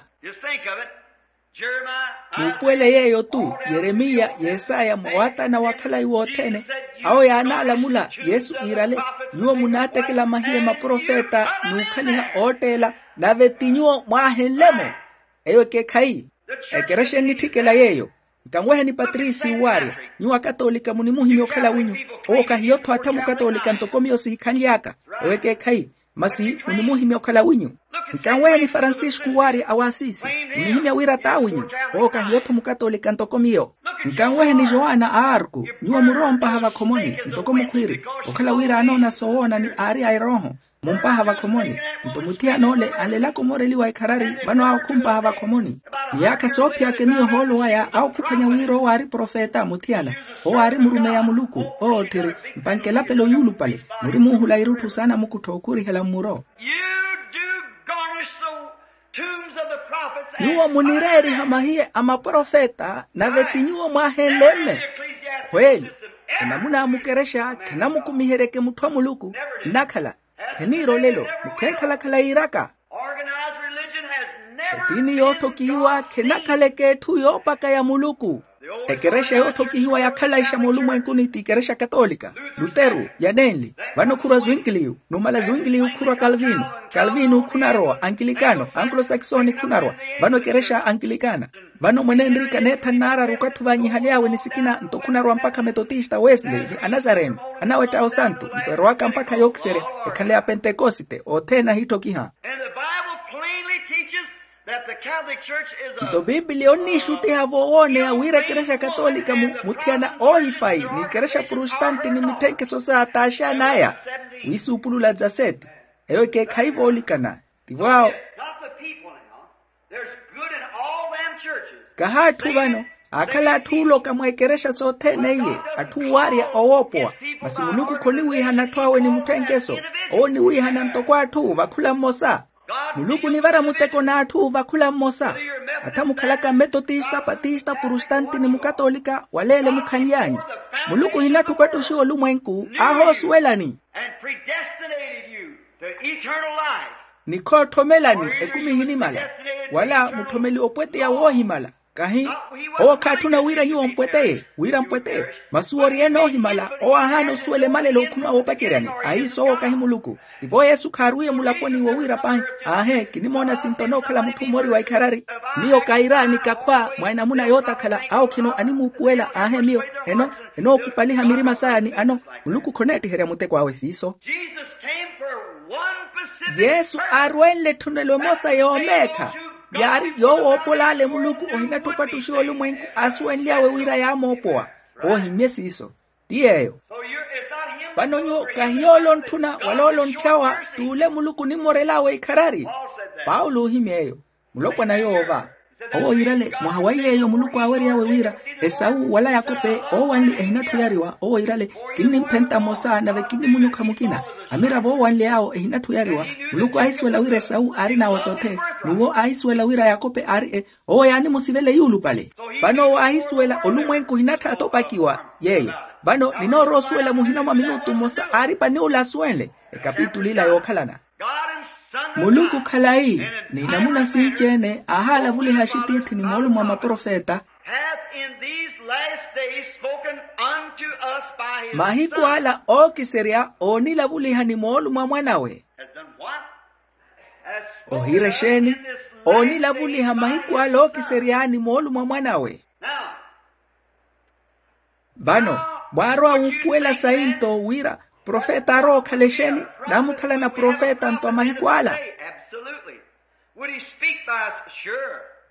Muupuwele yeeyo-tu, yeremiya, yesaya mwa waataana wa khalayi wothene. Awo yaanaalamula yesu iirale, nyuwo munaatekela mahiye maprofeta n'ukhaliha ootteela, nave ti nyuwo mwaahenle-mo. Eyo ekeekhayi. Ekerexa ennitthikela yeeyo. Nkanweheni patrisi owaarya, nyuwo akatoolika munimuhimya okhala winyu. Owo kahiyo-tho attha mukatoolika ntoko miyo sihikhanly'aka. Ewo ekeekhayi. Masi munimuhimya okhala winyu. Nkanweheni farancisku owaarya a waasisi, munihimya wira t'awinyu. Owo kahiyo-tho mukatoolika ntoko miyo. Nkanweheni joana a arku, nyuwo murowa ompaha vakhomoni ntoko mukhwiiri. Okhala wira aanoona soowoona ni aari a erooho, mumpaha vakhomoni. Nto muthiyana ole anlelaka omoreliwa ekharari vano awo khumpaha vakhomoni. Miyaakha soophiyaka emiyo ohoolo waya awo khuphwanya wira owo aari profeta muthiyana. Owo aari murumeyi a muluku. Owo otthiri mpankelapelo yuulupale. Muri muuhula irutthu sa namukuttho okhurihela mmuro. You do garnish the tombs of the prophets. Nyuwo munireeriha mahiye a maprofeta nave ti nyuwo mwaahenle mme. Khweeli, enamuna a mukerexa khanamukumiheryeke mutthu a muluku. Nnakhala kheniira olelo ni khenkhala-khala yiiraka. Etiini yootthokihiwa khenakhaleke etthu yoopaka ya muluku. Ekerexa yootthokihiwa yakhalaixa moolumwenkuni ti kerexa katolika, luteru, yanenli. Vano khurwa zwingiliyu, numala zwingiliyu khurwa kalvino. Kalvino khunarowa ankilikano, ankulosaksoni khunarowa. Vano ekerexa ankilikana. Vano mwenenrika neetha nnaararu okathi vanyihaly'awe ni sikina nto khunarowa mpakha metotista wesle ni anazareno. Anawetta osantu nto erowaka mpakha yookiserya. Ekhanle ya pentekosite othene ahiitthokiha. Nto piipiliya onniixuttiha voowooneya wira ekerexa katolika muthiyana oohifayi ni ekerexa prustanti ni mitthenkeso sa ataaxan'aya. Wiisuupulula dza seti. Eyo ekeekhayi voolikana. Tivo awo. Kaha atthu vano aakhala atthu ooloka mwa ekerexa sothene iye, atthu owaarya owoopowa. Masi muluku khoniwiihana atthu awe ni mutthenkeso. Owo oniwiihana ntoko atthu vakhula mmosa. Muluku onivara muteko n'atthu vakhula mmosa. Atha mukhalaka mmetotista patista prustanti ni mukatolika waleele mukhanly'anyu. Muluku ohinatthupa ettuxiwa olumwenku. Aahoosuwelani ni khootthomelani ekumi ehinimala. Wala mutthomeliwe opweteya woohimala. Kahi owo khaatthuna wira nyuwo mpweteye wira mpweteye. Masi owo ori-ene oohimala owo aahaana osuwela emalelo okhuma woopaceryani. Ahiiso owo kahi muluku. Tivo yesu khaarwiye mulaponi wo wira paahi. Aahe kinimoona sinto onookhala mutthu mmoori wa ikharari. Miyo kaira ni kakhwa mwa enamuna yootakhala awo khino animuupuwela aahe miyo. Eno enookupaliha mirima saya ni ano. Muluku khoneettiherya muteko awe siiso. Yesu aarwenle etthunelo emosa yoomeekha. Yaari yoowoopola ale muluku ohinatthupa ettuxiwa olumwenku aasuwenly'awe wira yaamoopowa. Oohimmye siiso. Ti yeeyo. Vano nyuwo kahi yoole ontthuna wala ole ontthyawa t'ule muluku onimmorel'awe ikharari. Paulo oohimmya eyo. Mulopwana yoova. Owo yiirale mwaha wa yeeyo muluku aawery'awe wira esawu wala yakope oowanli ehinatthu oyariwa owo yiirale. Kinnimphenta mmosa nave kinnimunyukha mukina. Amiravo oowanly'awo ehinatthu oyariwa. Muluku aahisuwela wira esawu aarina otothe. N'uwo aahisuwela wira yakope aari e owo yaanimusivela eyuulupale. Vano owo aahisuwela olumwenku ohinatthaatha opakiwa yeeyo. Vano ninoorowa osuwela muhina mwa minutu mmosa aari pan'ule asuwenle. Ekapitul'ila yookhalana. Muluku khalayi ni namuna sinci-ene aahaalavuliha axitiithi ni moolumo a maprofeta. Hath in these last days spoken unto us by his mahiku Son. Ala ookiserya oonilavuliha ni moolumo a mwanawe. Has done what? Ohiira exeeni? Oonilavuliha mahiku ala ookiseryaani moolumo a mwanawe. Vano mwaarowa wuupuwela sayi nto wira profeta aarowa okhala exeeni? Naamukhalana profeta nto a mahiku ala.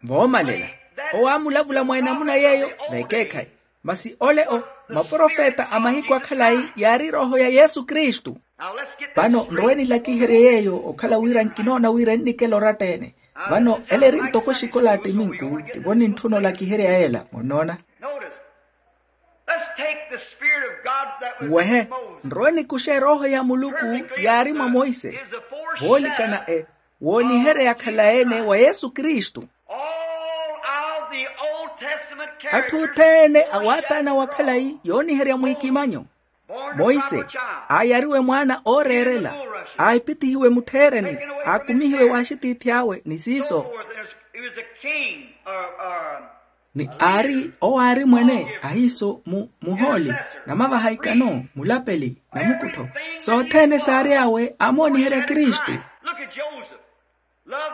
Voomalela owo aamulavula mwa enamuna yeeyo. Vekeekhayi. Masi ole o maprofeta a mahiku akhalayi yaari erooho ya yesu kristu. Vano nrowe nilakiherye yeeyo okhala wira nkinoona wira ennikela oratta-ene. Vano ela eri ntoko exikola a ttiminku. Tivo nintthuna olakiherya yeela munnoona. Nwehe nrowe nikuxe erooho ya muluku yaari mwa monse. Voolikana e woonihereya khalayi-ene wa yesu kristu. Atthu othene a waataana wakhalayi yooniherya mwiikimanyo. Monse aayariwe mwaana ooreerela. Aahipithihiwe muttheereni. Aakumihiwe w'axitiithi awe ni siiso. Ni aari owo aari mwene ahiiso mu muhooli namavaha ikano mulapeli namukuttho. Sothene saary'awe aamooniherya kristu.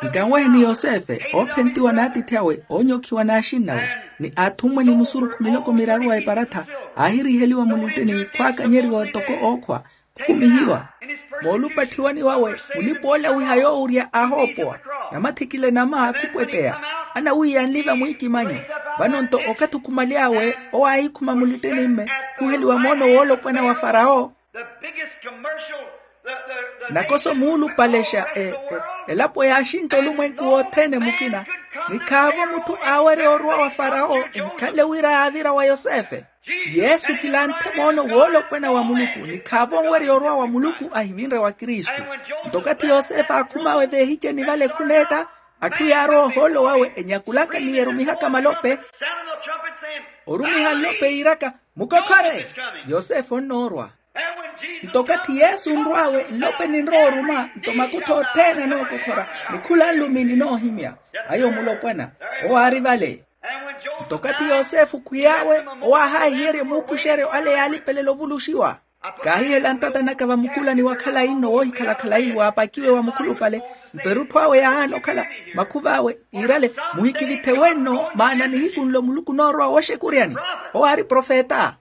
Nkanwehe ni yosefe oophentiwa n'atiithi awe oonyokhiwa n'axinnawe ni athummwe ni musurukhu miloko miraru a eparatha. Aahiriheliwa mulittini khwaakanyeriwa toko ookhwa khukumihiwa. Moolupatthiwani wawe mulipa oole awiha yoowurya aahoopowa namathikile nama khupweteya. Anawiiyanli vamwiikimanyo. Vano nto okathi okhumaly'awe owo aahikhuma mulittini-mme khuheliwa moono woolopwana wa farawo. Nakoso muulupalexa elapo yaaxintta olumwenku wothene mukina. Ni khaavo mutthu aawerya orwa wa farawo ehikhanle wira yaavira wa yosefe. Yesu kilanthe moono woolopwana wa muluku ni khaavo onwerya orwa wa muluku ahivinre wa kristu. Nto okathi yosefe aakhum'awe veehiceni vale khuneetta Atthu yaarowa ohoolo wawe enyakulaka ni erumihaka malope. Orumiha nlope yiiraka, mukokhore, yosefe onnoorwa. Nto okathi yesu onrw'awe nlope ninrowa oruma nto makutha othene anookokhora, ni khula nlumi ninoohimya. Ayo mulopwana owo aari vale. Nto okathi yosefe okhwiy'awe, owo ahaahiyerya muupuxeryo ale yaalipelela ovuluxiwa. Kaahihela ntata naka vamukulani wa khalayi nno woohikhala khalayi waapakiwe wa mukhulupale. Nto erutthu awe yaahaana okhala makhuv'awe, iirale, muhikivithe wenno maana nihiku nlo muluku onoorowa wooxekuryani. Owo aari profeta.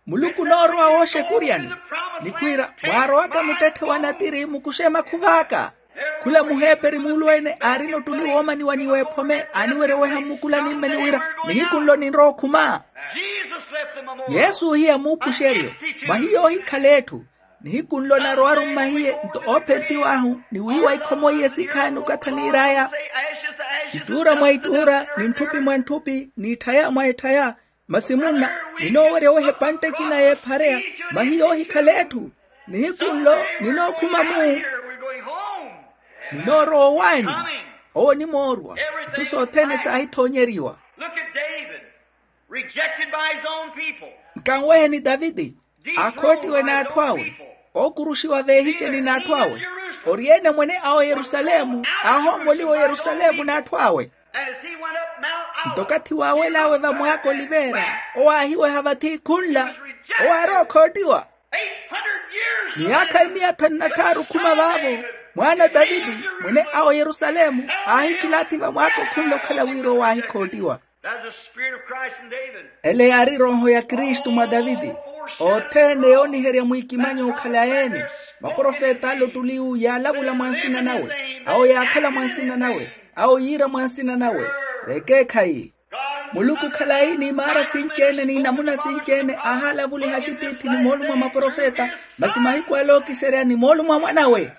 Muluku onoorowa wooxekuryani, ni khwiira mwaarowaka muttetthe wa natiri mukuxe makhuv'aka. Khula muheeperi muulweene aarina ottuli woomaniwa ni weephome aaniwerya oweha mmukulani mme ni wira, nihiku nlo ninrowa okhuma. Yesu ohiya muupuxeryo, mwahiyo ohikhala etthu. Nihiku nlo narowaru mmahiye nto oophentiw'ahu ni wiiwa ikhomo iye sikhaani okatha niir'aya. Ittuura mwa ittuura ni ntthupi mwa ntthupi n'itthaya mwa etthaya. Masi munna, ninoowerya oweha epantte ekina y'ephareya. Mwahiyo ohikhala etthu. Nihiku nlo ninookhuma mu, ninoorowa owaani. Owo onimoorwa. Itthu sothene saahithoonyeriwa. Nkanweheni taviti, aakhoottiwe n'atthu awe, ookuruxiwa veehiceni n'atthu awe. Ori-ene mwene a oyerusalemu, aahoomoliwa oyerusalemu n'atthu awe. Nto okathi waawel'awe vamwaaka oliveera, owo aahiweha vathi khunla. Owo aari okhoottiwa. Myaakha imiya thanu na tthaaru okhuma vaavo, mwaana a taviti, mwene a oyerusalemu, aahikilaathi vamwaaka okhunla okhala wira owo aahikhoottiwa. Ele yaari erooho ya kristu mwa taviti. Othene yooniherya mwiikimanyo okhala yeene. Maprofeta ale ottuli iwu yaalavula mwa nsina nawe, awo yaakhala mwa nsina nawe, awo yiira mwa nsina nawe. Vekeekhayi, muluku khalayi n'imaara sinci-ene n'inamuna sinci-ene aahalavuliha axitiithi ni moolumo a maprofeta. Masi mahiku ale ookiserya ni moolumo a mwanawe.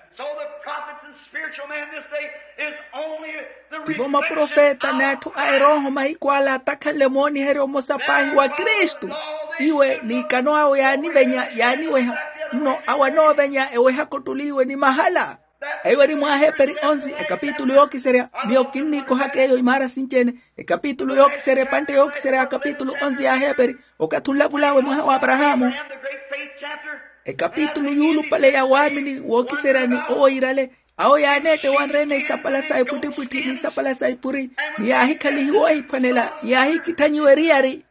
Tivo maprofeta n'atthu a erooho mahiku ale atakhanle mooniherya omosa paahi wa kristu. Iwe n'ikano awe yaanivenya yaaniweha, nno awo anoovenya ewehaka ottuli iwe ni mahala. Eyo eri mwa aheeperi onsi ekapitulu yookiserya. Miyo kinniikohaka eyo imaara sinci-ene. Ekapitulu yookiserya epantte yookiserya ya akapitulu onsi ya aheeperi. Okathi onlavul'awe mwaha wa aparahaamu, ekapitulu yuulupale ya waamini wookiseryani owo iirale. Awo yaaneetta ewanre-ene isapala sa epwittipwitthi n'isapala sa epuri, ni yaahikhalihiwa ohiphwanela ni yaahikitthanyiwa eriyari.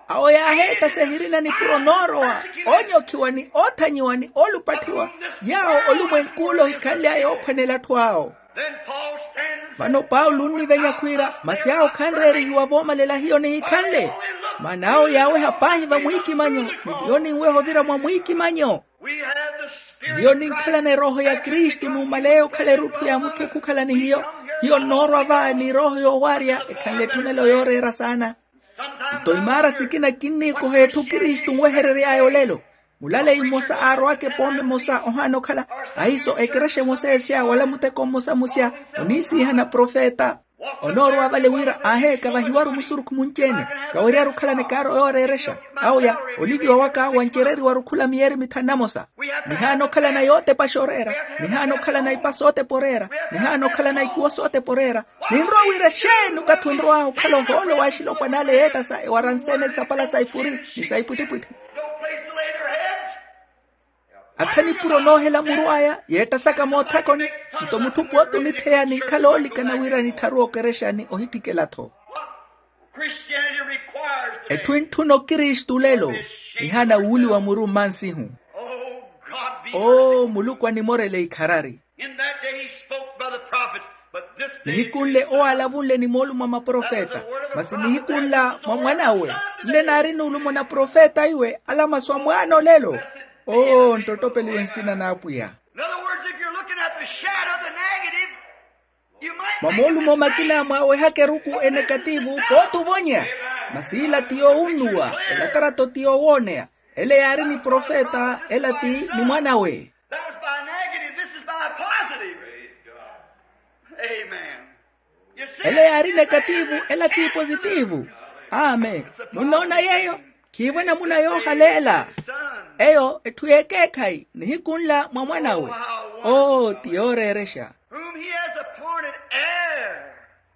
Awo yaaheetta sehirina nipuro noorowa, oonyokhiwa ni oothanyiwa ni oolupatthiwa. Yaawo olumwenk'ule ohikhanly'aya oophwanela atthu awo. Vano paulo onnivenya khwiira masi awo khanreerihiwa voomalela hiyo nihikhanle. Maana awo yaaweha paahi vamwiikimanyo, ni hiyo ninweha ovira mwa mwiikimanyo. Hiyo ninkhalana erooho ya kristu numaleya okhala erutthu ya mutthu okhukhala ni hiyo. Hiyo nnoorwa va n'erooho yoowaarya ekhanle etthunelo yooreera saana. Nto imaara sikina kinniikoha etthu kristu nweherery'aya olelo. Mulaleyi mmosa aarowaka epooma emosa ohaana okhala, ahiiso ekerexa emosa esya wala muteko mmosa musya, oniisiihana profeta. Onoorowa vale wira aaheeka vahiwaru musurukhu munci-ene. Kaweryaru okhalana ekaaro yooreerexa. Awo ya oliviwa waka wancereriwaru khula miyeeri mithanu na mosa. Nihaana okhalana yootepa xooreera. Nihaana okhalana ipa sootepa oreera. Nihaana okhalana ikuwo sootepa oreera. Ninrowa wira exeeni okathi onrow'ahu okhala ohoolo w'axilopwana ale yeettasa ewaransene sapala sa ipuri ni sa ipwittipwitthi. Atha nipuro noohela muru aya yeettasaka moothakoni. Nto mutthu pooti onitheya ninkhala oolikana wira nittharuwe okerexani ohittikela-tho. Etthu entthuna okristu olelo, nihaana wuuliwa muru mmansihu. Oo muluku animorele ikharari. Nihiku nle owo alavunle ni moolumo a maprofeta. Masi nihiku nla mwa mwan'awe, nle naari nuulumo na profeta iwe ala masu a mwaana olelo. Oo nttottopeliwe nsina n'apwiya. Mwa moolumo makina mwaawehaka eruku enekativu pooti ovonya. Masi ila ti yoowunnuwa, elatarato ti yoowooneya. Ele yaari ni profeta ela ti ni mwan'awe. Ele yaari nekativu ela ti positivu. Amen. Munnoona yeeyo? Khiivo enamuna yoohaleela. Eyo etthu y'ekeekhayi nihiku nla mwa mwan'awe. Oo ti yooreerexa.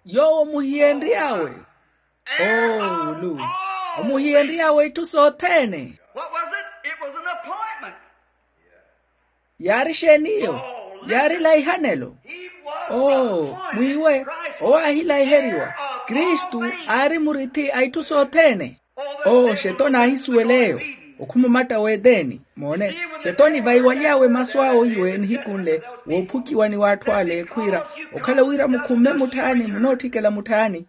Yoowo muhiyenry'awe. Oo wulu. Omuhiyenry'awe itthu sothene. Yaari exeen'iyo? Yaari laihanelo. Oo mwiiwe, owo aahilaiheriwa. Kristu aari murithi a itthu sothene. Oo xetoni aahisuwel'eyo okhumumatta w'eteni. Moone, xetoni vaiwaly'awe masu awe iwe nihiku nle, woophukiwa ni w'atthu ale khwiira, okhala wira mukhumme mutthaani munootthikela mutthaani.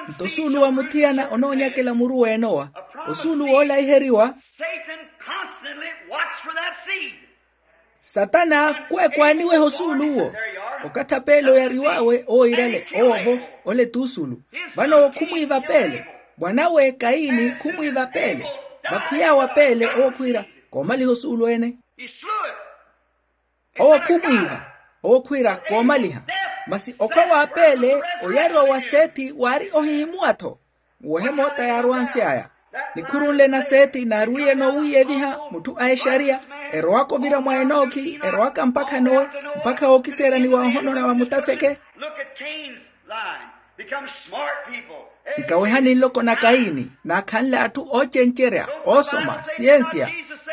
Nto osuulu wa muthiyana onoonyakela muru w'enowa, osuulu woolaiheriwa. Satana kweekwaaniweha osuulu'wo. Okathi a peele oyariw'awe owo iirale owo-vo. Ole t'usuulu. Vano owo khumwiiva peele. Mwan'awe kaini khumwiiva peele. Vakhwiy'awe a peele owo khwiira, koomaliha osuulu ene. Owo khumwiiva. Owo khwiira koomaliha. Masi okhwa wa peele oyariwa wa sethi waari ohihimuwa-tho. Nwehe moota yaarwansy'aya. Nikhuru nle na sethi naarwiye noowiiyeviha mutthu a exariya, erowaka ovira mwa enookhi erowaka mpakha nowe, mpakha wookiseeryani wa ohonona wa mutaseke. Nkawehani nloko na kaini naakhanle atthu oocencerya, oosoma siyensiya.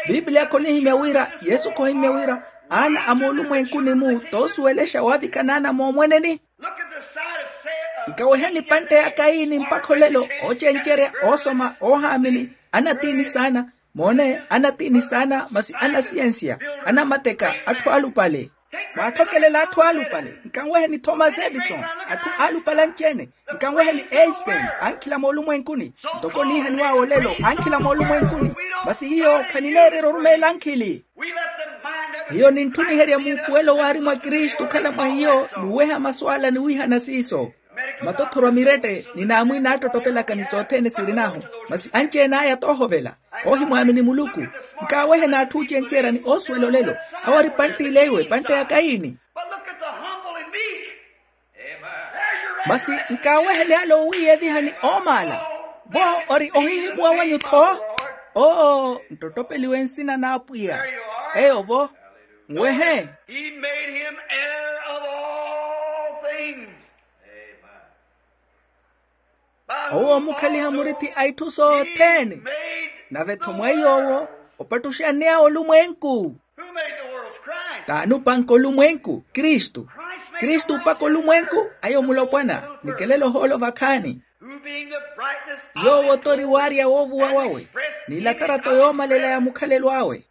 Piipiliya khonihimya wira yesu khohimya wira aana a moolumwenkuni-mu toosuwelexa waavikana ana moomweneni. Nkawehani pantte ya kaini mpakha olelo, oocencerya, oosoma, oohaamini, anatiini saana. Moone, anatiini saana masi anasiyensiya, anamateka, atthu aalupale. Mwaathokelela atthu aalupale. Nkanweheni thomas edison, atthu aalupale anci-ene. Nkanweheni einstein, ankhila moolumwenkuni. Ntoko niihaniw'awe olelo ankhila moolumwenkuni. Masi hiyo khanineererya orumeela ankhili. Hiyo ninttuniherya muupuwelo waari mwa kristu okhala mwa hiyo, n'uweha masu ala niwiihana siiso. Matothoro a mirette ni naamwiina aattottopelaka ni sothene sirin'ahu. Masi anci-ene aya toohovela, oohimwaamini muluku. Nkaaweheni atthu oocencerya ni oosuwela olelo. Awo ari pantte il'eiwe pantte ya kaini. Masi nkaaweheni ale oowiiyevihani oomaala. Vo ori ohihimuwa wanyu-tho. Oo nttottopeliwe nsina n'apwiya. Eyo-vo. Nwehe. He made him heir of all things. Owo omukhaliha murithi a itthu sothene. Nave-tho mwa iy'owo opattuxanny'awe olumwenku. T'ani opanka olumwenku? Kristu. Kristu opaka olumwenku. Ayo mulopwana. Nikelele ohoolo vakhaani. Yoowo t'ori waarya woovuwa wawe, n'ilatarato yoomalela ya mukhalelo awe.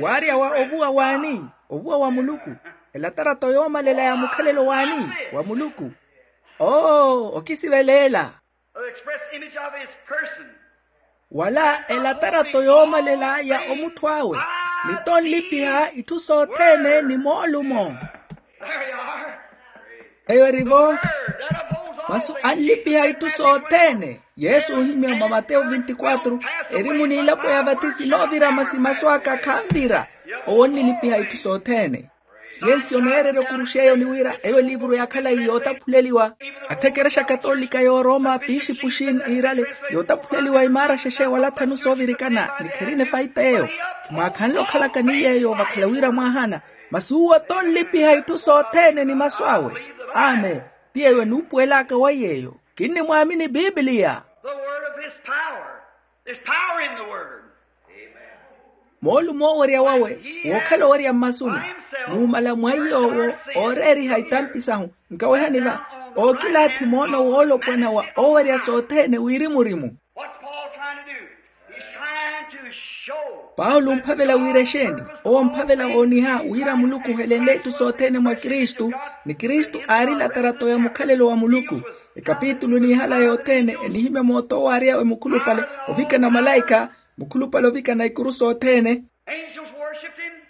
Waarya wa ovuwa w'ani? Ovuwa wa muluku. Elatarato yoomalela ya mukhalelo w'ani? Wa muluku. Oo okisiveleela. Wala elatarato yoomalela ya omutthu awe. Ni tonlipiha itthu sothene ni moolumo. Eyo eri-vo. Masu anlipiha itthu sothene. Yesu ohimya mwa mateyo vinti-quatro, erimu n'ilapo ya vatisi noovira masi masu aka khanvira. Owo onnilipiha itthu sothene. Siyensi oneererya okuruxa eyo ni wira eyo eliivuru ya khalayi yootaphuleliwa. Athekerexa katolika y'oroma piixipuxi n'iirale yootaphuleliwa imaara xexe wala thanu soovirikana ni kherina efaita eyo. Khimwaakhanle okhalaka ni yeeyo vakhala wira mwaahana. Masi uwo t'onlipiha itthu sothene ni masu awe. Amen. Ti yeeyo enuupuwelaka wa yeeyo. Kinnimwaamini pipiliya. The word of his power. There's power in the word. Moolumo owerya wawe wookhala owerya mmasuni. Nuumala mwa iy'owo ooreeriha itampi sahu. Nkawehani va ookilaathi moono woolopwana wa owerya sothene wirimu-rimu. What's Paul trying to do? He's trying to show. Paulo omphavela wira exeeni? Owo omphavela ooniha wira muluku ohelenle itthu sothene mwa kristu. Ni kristu aari latarato ya mukhalelo wa muluku. Ekapitulu niihala yothene enihimya mooto owaaryawe mukhulupale ovikana malaikha. Mukhulupale ovikana ikuru sothene.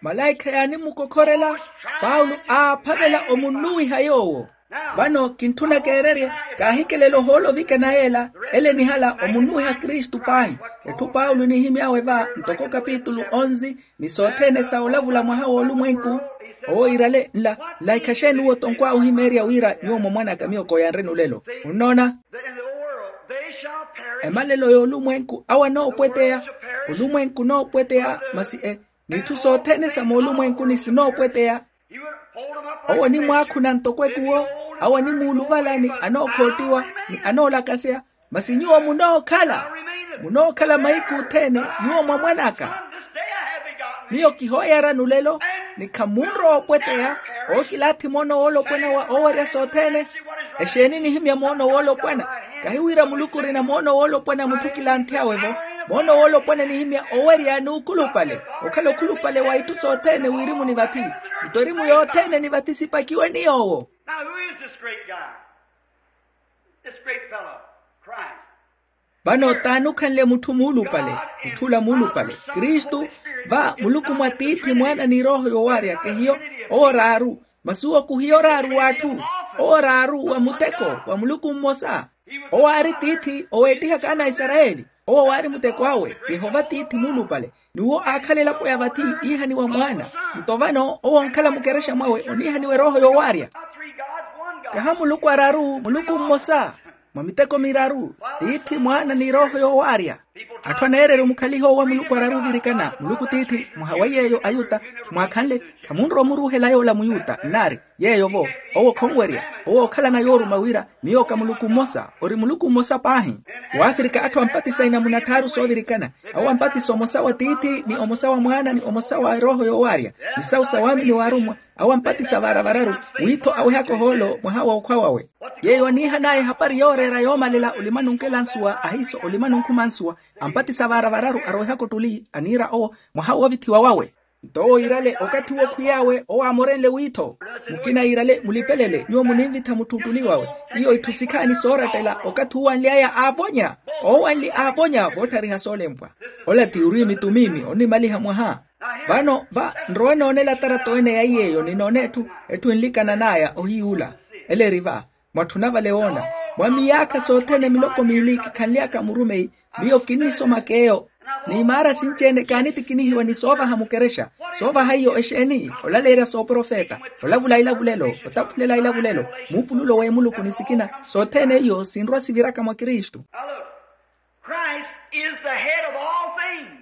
Malaikha yaanimukokhorela. Paulo aaphavela omunnuwiha yoowo. Vano kintthuna keererye. Kaahikelela ohoolo ovikana yeela. Ele nihala omunnuwiha kristu paahi. Etthu paulo enihimy'awe va ntoko kapitulu onzi ni sothene sa olavula mwaha w'olumwenku. Owo iirale nla nlaikha xeeni uwo tonkw'awe ohimeerya wira nyuwo mwa mwan'aka miyo kooyanreni olelo? Munnoona. Emalelo y'olumwenku awo anoopweteya. Olumwenku unoopweteya masi e n'itthu sothene sa moolumwenkuni sinoopweteya. Owo onimwaakhuna ntoko ekuwo. Awo animuuluvala ni anookhootiwa ni anoolakaseya. Masi nyuwo munookhala munookhala mahiku othene. Nyuwo mwa mwan'aka. Miyo kihooyarani olelo ni khamunrowa opweteya. Ookilaathi moono woolopwana wa oowerya sothene. Exeeni nihimya moono woolopwana? Kahi wira muluku orina moono woolopwana mutthu kilanthy'awe-vo. Moono woolopwana nihimya owerya n'ukhulupale okhala okhulupale wa itthu sothene wirimu ni vathi. Nto erimu yothene ni vathi sipakiwe ni yoowo. Now who is this great guy? This great fellow, Christ. Vano t'ani okhanle mutthu muulupale? Mutthula muulupale kristu. Va muluku mwa tiithi mwaana ni erooho yoowaarya kehiyo. Owo raaru. Masi owo kuhiyo raaru w'atthu. Owo raaru wa muteko wa muluku mmosa. Owo aari tiithi oweettihaka ana a isarayeli. Owo waari muteko awe yehova tiithi muulupale. Ni wo aakhala elapo ya vathi iihaniwa mwaana. Nto vano owo onkhala mukerexa mwawe oniihaniwa erooho yoowaarya. Kaha muluku araru muluku mmosa. Mwa miteko miraru tiithi mwaana ni erooho yoowaarya. Atthu aneererya omukhaliha owo a muluku araru ovirikana muluku tiithi mwaha wa yeeyo ayuta. Khimwaakhanle khamunrowa omuruuhela yoola muyuta nnaari yeeyo-vo. Owo khonwerya owo ookhalana yooruma wira miyo ka muluku mmosa ori muluku mmosa paahi. Waafirika atthu ampatisa inamuna tthaaru soovirikana. Awo ampatisa omosa wa tiithi ni omosa wa mwaana ni omosa wa erooho yoowaarya ni sawu sa waamini waarummwa. Awo ampatisa vaara vararu wiitho awehaka ohoolo mwaha w'okhwa wawe. Yeeyo aniihan'aya ehapari yooreera yoomalela olimani onkela nsuwa ahiiso olimani onkhuma nsuwa. Ampatisa vaara vararu arowehaka ottuli aniira owo mwaha woovithiwa wawe. Nto owo iirale okathi uwo khwiy'awe owo aamorenle wiitho. Mukina iirale mulipelele nyuwo muninvitha mutthu ottuli wawe. Iyo itthu sikhaani soorattela okathi uwo anly'aya aavonya. Oowanli aavonya vootthariha soolempwa. Ola ti ori mitumiimi onimaliha mwaha. Vano va nrowa enoonela tarato ene ya iy'eyo ninoone etthu etthu enlikanan'aya ohiyuula. Ele eri va mwatthuna vale woona. Mwa miyaakha sothene miloko miili kikhanly'aka murumeyi miyo kinnisomaka eyo. N'imaara sinci-ene kaanitikinihiwa ni soovaha mukerexa. Soovaha iyo exeeni olaleerya sooprofeta olavula ilavulelo otaphulela ilavulelo muupululo w'emuluku ni sikina sothene iyo sinrwa siviraka mwa kristu. Christ is the head of all things.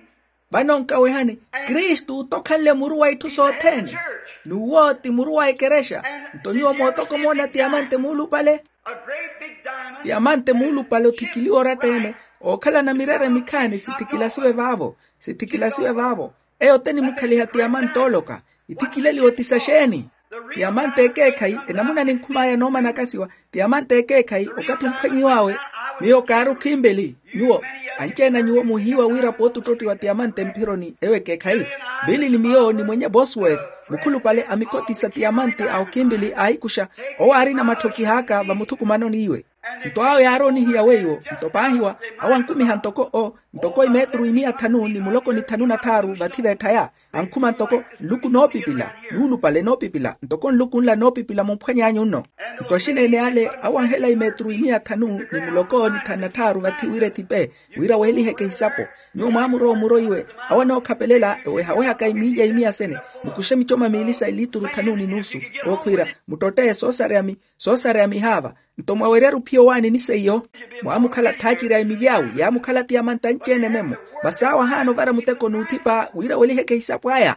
Vano nkawehani kristu t'okhanle muru wa itthu sothene. N'uwo ti muru wa ekerexa. Nto nyuwo mootoko moona tiyamante muulupale. A great big diamond. Tiyamante muulupale othikiliwa oratta-ene ookhalana mirere mikhaani sithikilasiwe vaavo. Sithikilasiwe vaavo. Eyo te nimukhaliha tiyamante ooloka. Ithikileliwa ti saxeeni? Tiyamante ekeekhayi enamuna ninkhum'aya noomanakasiwa. Tiyamante ekeekhayi okathi omphwanyiw'awe. Miyo kaari okhimbili nyuwo anci-ene a nyuwo muhiiwa wira pooti ottottiwa tiyamante mphironi eyo ekeekhayi. Vili ni miyo ni mwenye bosworth mukhulupale amikoti sa tiyamante a okhimbili aahikuxa. Owo aarina matthokih'aka vamuthukumanoni iwe. Nto awo yaaroonihiya weiwo nto paahiwa awo ankumiha ntoko o ntoko imetru imiya thanu ni muloko ni thanu na tthaaru vathi veetthaya. Ankhuma ntoko nluku noopipila nuulupale noopipila ntoko nluku nla noopipila mumphwany'anyu nno. Nto axineen'ale awo anhela imetru imiya thanu ni muloko ni thanu na tthaaru vathi wira ethipe wira weeliheke ehisapo. Nyuwo mwaamurowa omuro iwe awo anookhapelela ewehawehaka imiilya imiya sene mukuxe micoma miili sa ilituru thanu ni nusu. Wookhwiira muttotteye soosareya mi soosareya mihaava. Nto mwawerya ruphiya owaani ni seiyo mwaamukhala thaaciri a emilyawu yaamukhala tiyamanta anci-ene memo. Masi awo ahaana ovara muteko n'uthipa wira weliheke ehisapo aya.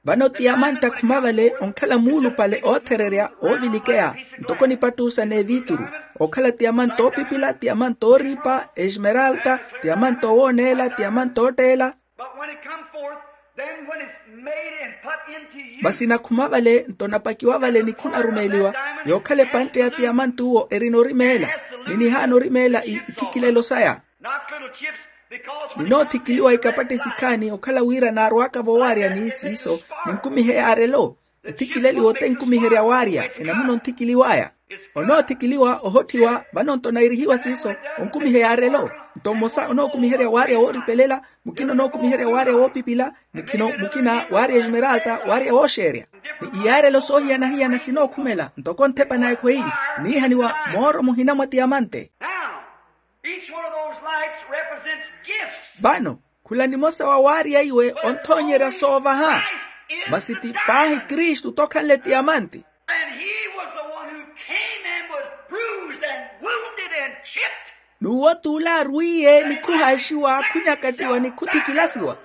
Vano tiyamanta khuma vale onkhala muulupale oothererya oovilikeya ntoko nipattusa n'evituru ookhala tiyamanta oopipila tiyamanta ooriipa esmeralta tiyamanta owooneela tiyamanta ootteela. But when it come forth, then when it's made and put into you. Masi nakhuma vale nto napakiwa vale ni khunarumeeliwa yookhala epantte ya tiyamanti uwo erina orimeela ni nihaana orimeela ithikilelo saya. Not little chips, because when it comes in, ninothikiliwa ikapatti sikhaani okhala wira naarw'aka voowaryani siiso ninkumihe yaarelo. Ethikileliwa ote nkumiherya waarya enamuna onthikiliw'aya. Onoothikiliwa ohotthiwa vano nto nairihiwa siiso onkumihe yaarelo. Nto mmosa onookumiherya waarya wooripelela mukina onookumiherya waarya woopipila ni khino mukina waarya esmeralta waarya wooxeerya. Ni iyaarelo soohiyana-hiyana sinookhumela ntoko nthepa na ekhweyi niihaniwa mooro muhina mwa tiyamante. Now, each one of those lights represents gifts. Vano khula nimosa wa waarya iwe onthoonyerya soovaha. Masi ti paahi kristu t'okhanle tiyamanti. And he was the one who came and was bruised and wounded and chipped. N'uwo t'ule arwiiye ni khuhaaxiwa khunyakattiwa ni khuthikilasiwa,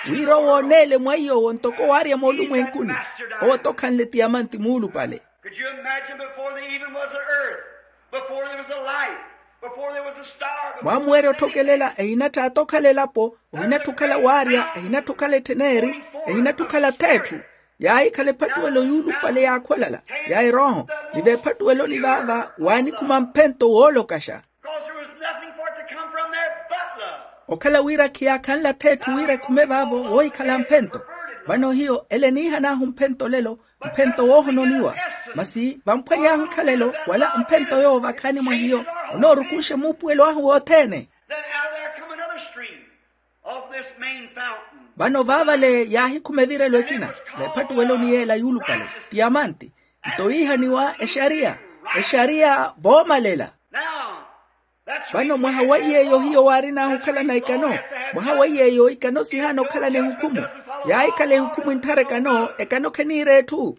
wira owo ooneele mwa iy'owo ntoko waarya moolumwenkuni. Owo t'okhanle tiyamanti muulupale. Could you imagine before there even was an earth, before there was a light, before there was a star, before there was anything? Mwaamuwerya otthokelela ehinatthaatta okhala elapo, ohinatthu okhala waarya, ehinatthu okhala ettheneri, ehinatthu okhala th'etthu. Yaahikhala ephattuwelo yuulupale yaakhwalala ya erooho. Ni veephattuweloni vaava waanikhuma mphento woolokaxa. Because there was nothing for it to come from there but love. Okhala wira khiyaakhanla th'etthu wira ekhume vaavo woohikhala mphento. Vano hiyo ele eniihan'ahu mphento lelo, mphento woohononiwa. Masi vamphwany'ahu ikhalelo wala mphento yoowo vakhaani mwa hiyo, onoorukunxe muupuwelo ahu wothene. Then out of there come another stream of this main fountain. Vano vaavale yaahikhuma evirelo ekina, veephattuweloni yeela yuulupale, tiyamanti. Nto yiihaniwa exariya, exariya voomalela. Now, that's. Vano mwaha wa iy'eyo hiyo waarin'ahu okhalana ekano. Mwaha wa iy'eyo ekano sihaana okhalana ehukhumu. Yaahikhala ehukhumu entthara ekano, ekano kheniira etthu.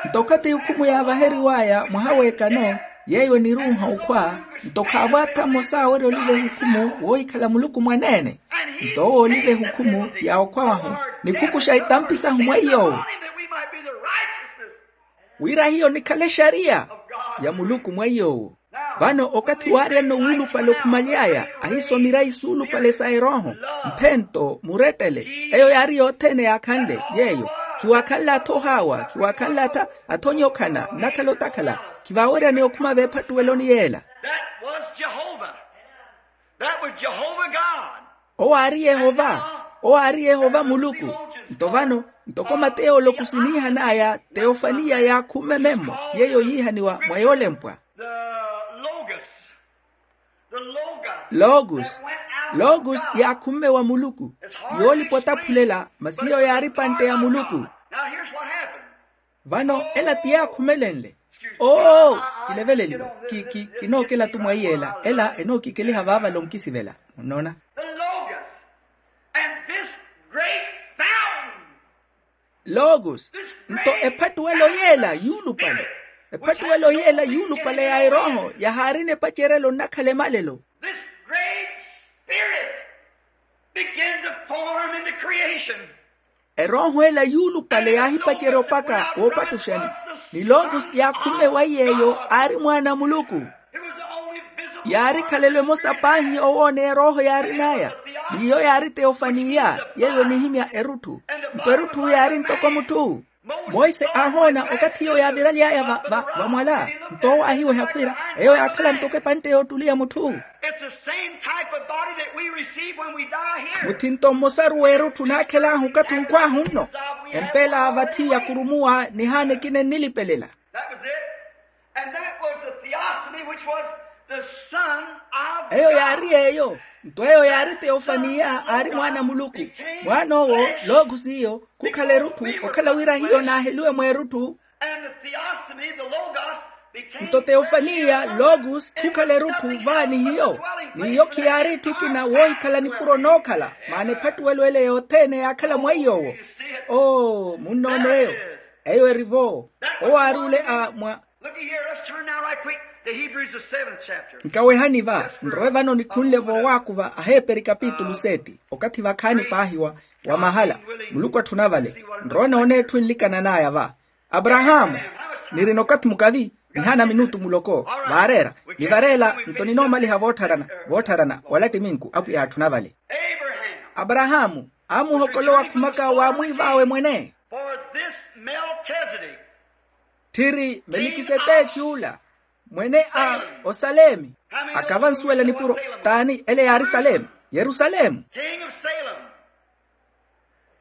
Nto okathi ehukhumu yaavaheriw'aya mwaha w'ekano, yeeyo eniruuha okhwa. Nto khaavo atha mmosa awerya oliva ehukhumu woohikhala muluku mwaneene. Nto owo oliva ehukhumu ya okhwa wahu, nikhukuxa itampi sahu mwa iy'owo, wira hiyo nikhale exariya ya muluku mwa iy'owo. Vano okathi waaryanno wuulupale okhumaly'aya, ahiiso mirayi suulupale sa erooho, mphento, murettele. Eyo yaari yothene yaakhanle yeeyo. Khiwaakhanle atha ohaawa, khiwaakhanle atha, atha onyokhana nnakhala otakhala. Khivaaweryani okhuma veephattuweloni yeela. That was Jehovah. That was Jehovah God. Owo aari yehova. Owo aari yehova muluku. Nto vano, ntoko mateyo olokusi niihan'aya, teofaniya yaakhumme memmo yeeyo yiihaniwa mwa yoolempwa. The Logos. The Logos. Logos. Logos yaakhumme wa muluku. Yoolipa otaphulela masi hiyo yaari epantte ya muluku. Now here's what happened. Vano ela ti yaakhumelenle. Oo, kileveleliwe. Kinookela tu mwa iy'ela ela enookikeliha vaavale onkisivela. Munnoona? The Logos and this great fountain. Logos. Nto ephattuwelo yeela yuulupale. Ephattuwelo yeela yuulupale ya erooho yahaarina epacerelo nnakhala emalelo. This great spirit began to form in the creation. Erooho ela yuulupale yaahipacerya opaka woopattuxani. Ni logos yaakhumme wa iy'eyo aari mwaana a muluku. Yaari khalelo emosa paahi owoona erooho yaarin'aya. N'iyo yaari teofaniya yeeyo enihimya erutthu. Nto erutthu yaari ntoko mutthu. Monse aahoona okathi iyo yaaviraly'aya va va vamwala. Nto owo aahiweha khwiira eyo yaakhala ntoko epantte yoottuliya mutthu. It's the same type of body that we receive when we die here. Muthinto mmosaru w'erutthu naakhel'ahu okathi onkhw'ahu nno. Empeela vathi yakurumuwa nihaana ekina ennilipelela. That was it. And that was the theophany, which was the Son of God. Eyo yaari eyo. Nto eyo yaari teofaniya aari mwaana a muluku. Mwaan'owo logos iyo khukhala erutthu okhala wira hiyo naaheliwe mweerutthu. And the theophany, the Logos, became flesh. Nto teofaniya logos khukhala erutthu vaani hiyo. N'iyo khiyaari etthu ekina woohikhala nipuro nookhala maana ephattuwelo ele yothene yaakhala mwa iy'owo. Oo munnoon'eyo. Eyo eri-vo. Owo aari ole a mwa. Look at here, let's turn now right quick to Hebrews, the seventh chapter. Nkawehani va nrowe vano nikhunle voowaakuva aheeperi kapitulu seti okathi vakhaani paahi wa mahala. Muluku atthuna vale. Nrowe noona etthu enlikanan'aya va. Aparahaamu, nirina okathi mukavi. Nihaana minutu muloko vaareera. Nivareela nto ninoomaliha voottharana voottharana wala ttiminku apwiya aatthuna vale. Aparahaamu aamuhokolowa khumaka waamwiiv'awe mwene. For this Melchizedek. Tthiri melikiseteki ula mwene a osalemi. Akava ansuwela nipuro t'ani ele yaari salemu? Yerusalemu. King of Salem.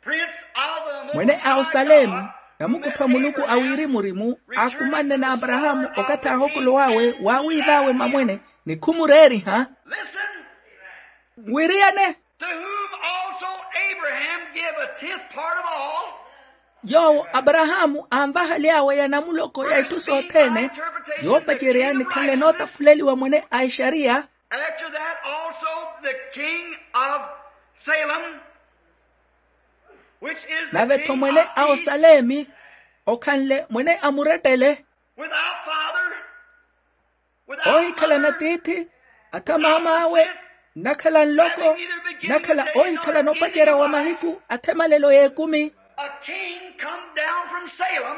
Prince of the Most High God. Mwene a osalemi namukuttho a muluku a wirimu-rimu. Akhumanne n'aparahaamu okathi aahokolow'awe waawiiv'awe mamwene ni khumureeriha. Listen. Nwiriyane. To whom also Abraham gave a tenth part of all. Yoowo aparahaamu anvahaly'awe ya namuloko ya itthu sothene. Yoopacerya nikhanle nootaphuleliwa mwene a exariya. After that also the king of Salem, which is the king of peace. Nave-tho mwene a osalemi okhanle mwene a murettele. Without father. Oohikhalana tiithi. Atha maam'awe, nnakhala nloko, nnakhala oohikhalana opacerya wa mahiku athe emalelo y'ekumi. A king come down from Salem.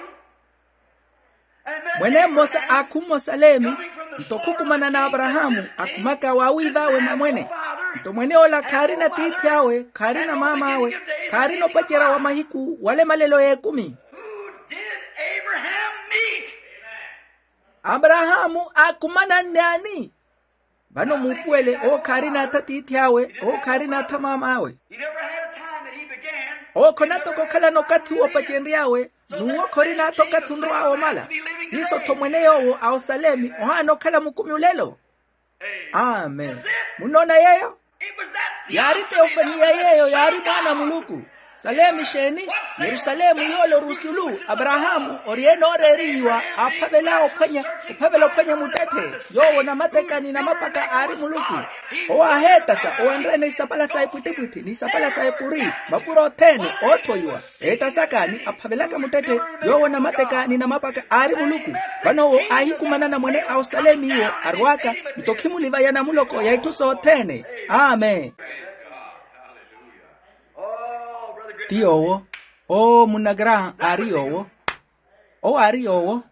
Mwene mmosa aakhumma osalemi, nto khukumana n'aparahaamu akhumaka waawiiv'awe mwa mwene. Nto mwene ola khaarina tiithi awe, khaarina maam'awe, khaarina opacerya wa mahiku wala emalelo y'ekumi. Who did Abraham meet? Aparahaamu aakhumana nnaani? Vano muupuwele, owo khaarina atha tiithi awe, owo khaarina atha maam'awe. Owo khonatoko okhalana okathi woopacenry'awe, n'uwo khorina atha okathi onrow'awe omala. Siiso-tho mwene yoowo a osalemi ohaana okhala mukumi olelo. Amen. Munnoona yeeyo? Yaari teofaniya yeeyo yaari mwaana a muluku. Salemu exeeni? Yerusalemu yoole ori osulu aparahaamu ori ene ooreerihiwa aaphavela ophwanya, ophavela ophwanya muttetthe. Yoowo namateka ni namapaka aari muluku. Owo aaheettasa owanre-ene isapala sa epwittipwitthi ni isapala sa epuri, mapuro othene oothoiwa. Eettasaka ni aphavelaka muttetthe. Yoowo namateka ni namapaka aari muluku. Vano owo aahikumanana mwene a osalemiwo arw'aka, nto khimulivaya namuloko ya itthu sothene. Amen. Ti yoowo. Oo munna graham aari yoowo. Owo aari yoowo.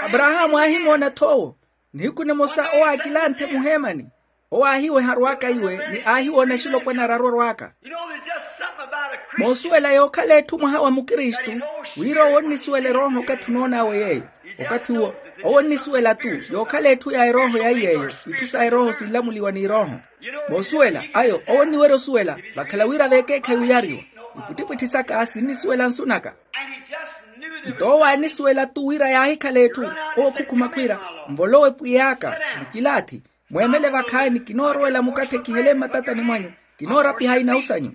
Aparahaamu aahimoona-tho owo. Nihiku nimosa owo aakilanthe muheemani. Owo aahiweha arw'aka iwe ni aahiwoona exilopwana araru arw'aka. Moosuwela yookhala etthu mwaha wa mukristu, wira owo onnisuwela erooho okathi onoon'awe yeeyo. Okathi uwo owo onnisuwela-tu yookhala etthu ya erooho ya iy'eyo. Itthu sa erooho sinlamuliwa n'irooho. Moosuwela ayo owo onniwerya osuwela, vakhala wira veekeekhayi oyariwa. Ipwittipwitthi saka sinnisuwela nsu naka. Nto owo aanisuwela-tu wira yaahikhala etthu. Owo okhukhuma khwiira, nvolowe pwiy'aka, mukilaathi, mweemele vakhaani kinoorowela mukatthe kihele mmatatani mwanyu. Kinoorapiha inau sanyu.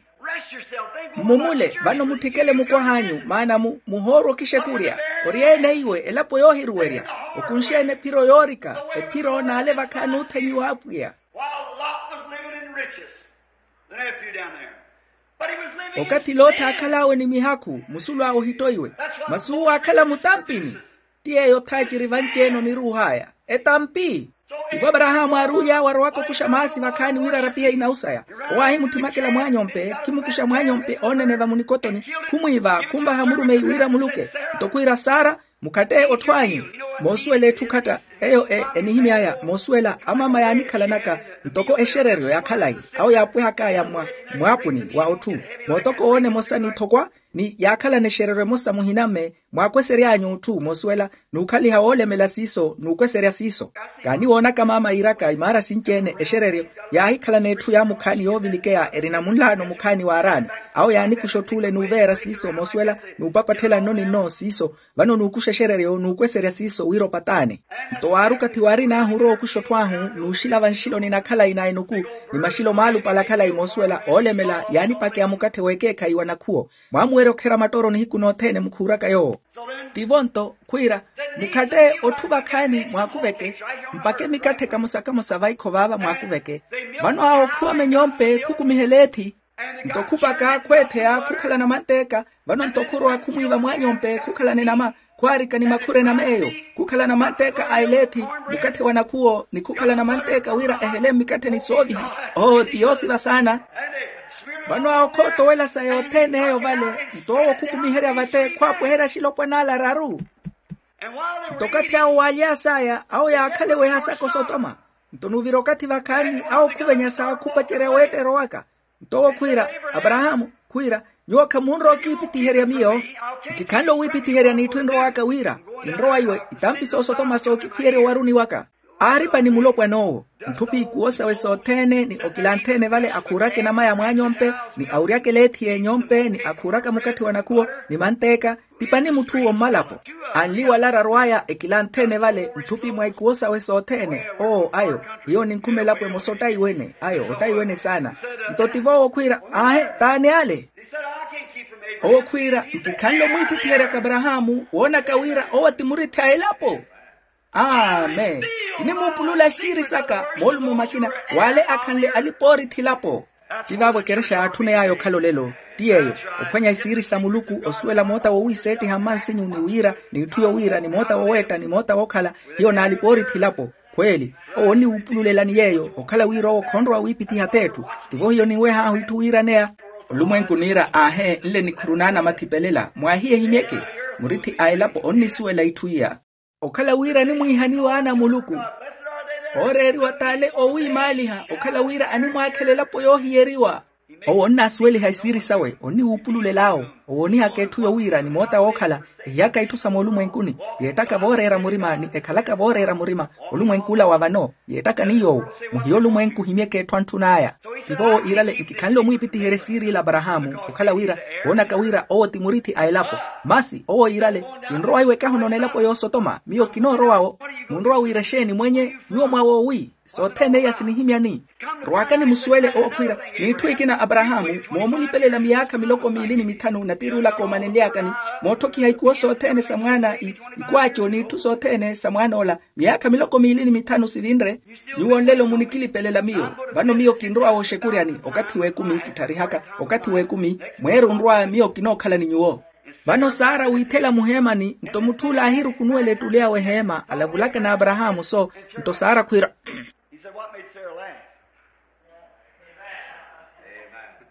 Mmumule vano mutthikele mukwah'anyu maana muhoorwa okixekurya. Ori ene iwe elapo yoohiruwerya. Okunxe-ene ephiro yoorika, ephiro n'ale vakhaani oothenyiwa apwiya. While Lot was living in riches, the nephew down there. But he was living in okathi loti aakhal'awe ni mihakhu musulu awe ohittoiwe. Masi uwo aakhala mutampini. Ti yeeyo thaaciri vanci-ene oniruuh'aya etampi. Ivo aparahaamu aaruuly'awe arowaka okuxa maasi vakhaani wira arapihe inau saya. Owo aahimuthimakela mwaanyompe khimukuxa mwaanyompe ooneneva munikotoni. Khumwiiva khumvaha murumeyi wira muluke. Nto khwiira sara, mukhatte otthu anyu. Moosuwela etthu khatta eyo enihimy'aya moosuwela amaama yaanikhalanaka ntoko exereryo ya khalayi. Awo yaapwehaka ya mwaapuni wa otthu. Mootoko woona emosa n'ithokwa ni yaakhalana exereryo emosa muhina mme. Mwaakwesery'anyu otthu moosuwela n'ukhaliha woolemela siiso n'ukweserya siiso. Kaaniwoonaka maama yiiraka imaara sinci-ene exereryo. Yaahikhalana etthu yaamukhaani yoovilikeya erina munlaano mukhaani w'araami. Awo yaanikuxa otth'ule n'uveera siiso moosuwela n'upapatthela nno ni nno siiso. Vano n'ukuxa exereryo n'ukweserya siiso wira opataane. Nto waari okathi waarin'ahu orowa okuxa otth'ahu n'uxilava nxiloni na khalayi na enuku ni maxilo maalupale a khalayi moosuwela oolemela yaanipakeya mukatthe w'ekeekhayi wa nakhuwo. Mwaamuwerya okherya matoro nihiku nothene mukhuuraka yoowo. Tivo nto khwiira, mukhatte otthu vakhaani mwaakuveke, mpakhe mikatthe kamosa-kamosa vaikho vaava mwaakuveke. Vano awo khuwama enyompe khukumihela eethi. Nto khupaka khweetheya khukhalana manteeka. Vano nto khurowa khumwiiva mwaanyompe khukhalana enama. Khwaarika ni makhura enama eyo khukhalana manteeka a eleethi, mukatthe wa nakhuwo ni khukhalana manteeka wira ehele mmikattheni sooviha. Oo ti yoosiva saana. Vano awo khootowela sa yothene eyo vale. Nto owo khukumiherya vate khwaapweherya axilopwan'ale araru. Nto okathi awo waalya saya awo yaakhala eweha saka osotoma. Nto n'uvira okathi vakhaani awo khuvenya sa khupacerya weetta erowaka. Nto owo khwiira, aparahaamu, khwiira, nyuwo khamunrowa okiipitiherya miyo. Nkikhanle owiipitiherya n'itthu enrowaka wira kinrowa iwe itampi soosotoma sookiphiyerya owaruni waka. Aaripa ni mulopwana owo, ntthupi ikuwo sawe sothene ni okilanthene vale akhuuraka enama ya mwaanyompe ni awuryaka eleethi y'enyompe ni akhuuraka mukatthe wa nakhuwo ni manteeka. Tipani mutth'uwo mmalapo. Anli wala araru aya ekilanthene vale ntthupi mwa ikuwo sawe sothene. Oo ayo, hiyo ninkhume elapo emosa ottaiwene ayo ottaiwene saana. Nto tivo owo khwiira, aahe, t'ani ale? Owo khwiira, nkikhanle omwiipithiheryaka aparahaamu woonaka wira owo ti murithi a elapo. Amen. Kinimuupulula esiiri saka moolumo makina w'ale akhanle alipa oorithi elapo. Ti vaavo ekerexa yaatthuney'aya okhala olelo. Ti yeeyo, ophwanya isiiri sa muluku osuwela moota wowiiseettiha mmansinyu ni wira n'itthu yowiira ni moota woweetta ni moota wookhala. Hiyo naalipa oorithi elapo. Khweeli, owo onniwuupululelani yeeyo okhala wira owo khonrowa wiipitiha t'etthu. Tivo hiyo ninweh'ahu itthu wiiraneya. Olumwenku niira aahe nle nikhuru n'anamathi pelela mwahiyehimyeke. Murithi a elapo onnisuwela itthu iya. Okhala wira animwiihaniwa ana a muluku, ooreeriwa t'ale owiimaaliha okhala wira animwakhela elapo yoohiyeriwa. Owo onnasuweliha isiiri sawe onniwuupululel'awo. Owoonihaka etthu yowiira ni moota wookhala, ehiyaka itthu sa moolumwenkuni, yeettaka vooreera murima ni ekhalaka vooreera murima. Olumwenkula wa vano yeettaka ni yoowo. Muhiya olumwenku ohimyeke etthu antthun'aya. Tivo owo iirale nkikhanle omwiipitiherya esiiri ila aparahaamu, okhala wira woonaka wira owo ti murithi a elapo. Masi owo iirale, kinrowa iwekaha onoona elapo y'osotoma miyo kinoorowa-wo. Munrowa wira exeeni mwenye? Nyuwo mwawoowi sothene iya sinihimyani. Rwaakani musuwele owo khwiira, n'itthu ekina aparahaamu moomulipelela miyaakha miloko miili ni mithanu natiir'ula koomanenly'akani, mootthokiha ikuwo sothene sa mwaana ikwaaco n'itthu sothene sa mwaan'ola miyaakha miloko miili ni mithanu sivinre. Nyuwo nlelo munikilipelela miyo. Vano miyo kinrowa wooxekuryani okathi w'ekumi kittharihaka, okathi w'ekumi mweerunrwa miyo kinookhala ni nyuwo. Vano sara wiithela muheemani nto mutth'ula aahirukunuwela ettuli awe eheema alavulaka n'aparahaamu so. Nto sara khwiira,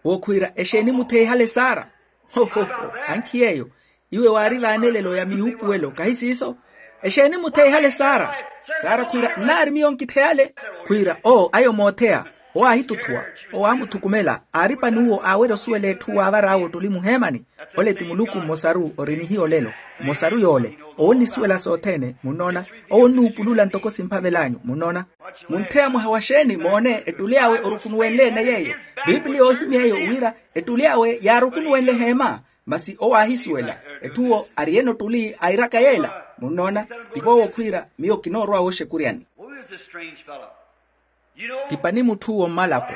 owo khwiira exeeni mutheihale sara? Hohoho, ankhi yeeyo. Iwe waari vaanelelo ya miyuupuwelo kahi siiso? Exeeni mutheihale sara? Sara khwiira nnaari miyo nkitheyale. Khwiira oo ayo mootheya. Owo aahituthuwa, owo aamuthukumela aari pan'uwo aawerya osuwela etthu waavar'awe ottuli muheemani. Ole ti muluku mmosaru ori nihiya olelo. Mmosaru yoole. Owo onnisuwela sothene munnoona. Owo onnuupulula ntoko simphavel'anyu munnoona. Muntheya mwaha wa xeeni moone ettuli awe orukunuwenle-ene yeeyo. Piipiliya oohimya eyo wira ettuli awe yaarukunuwenle eheema. Masi owo aahisuwela. Etthu owo ari-ene ottuli airaka yeela. Munnoona? Tivo owo khwiira miyo kinoorowa wooxekuryani. Ti pani mutth'uwo mmalapo.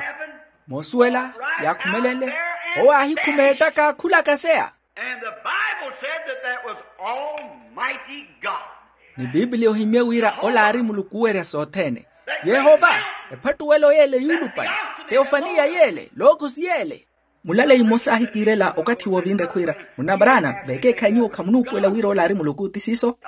Moosuwela yaakhumelenle. Owo aahikhumeettaka khulakaseya. And the Bible said that that was Almighty God. Ni piipiliya ohimye wira ola aari muluku owerya sothene. Yehova. Ephattuwelo yeele yuulupale. Teofaniya yeele lookosi yeele. Mulaleyi mmosa aahikiirela okathi woovinre khwiira, munna abraana vekeekhayi nyuwo khamunuupuwela wira ola aari muluku ti siiso?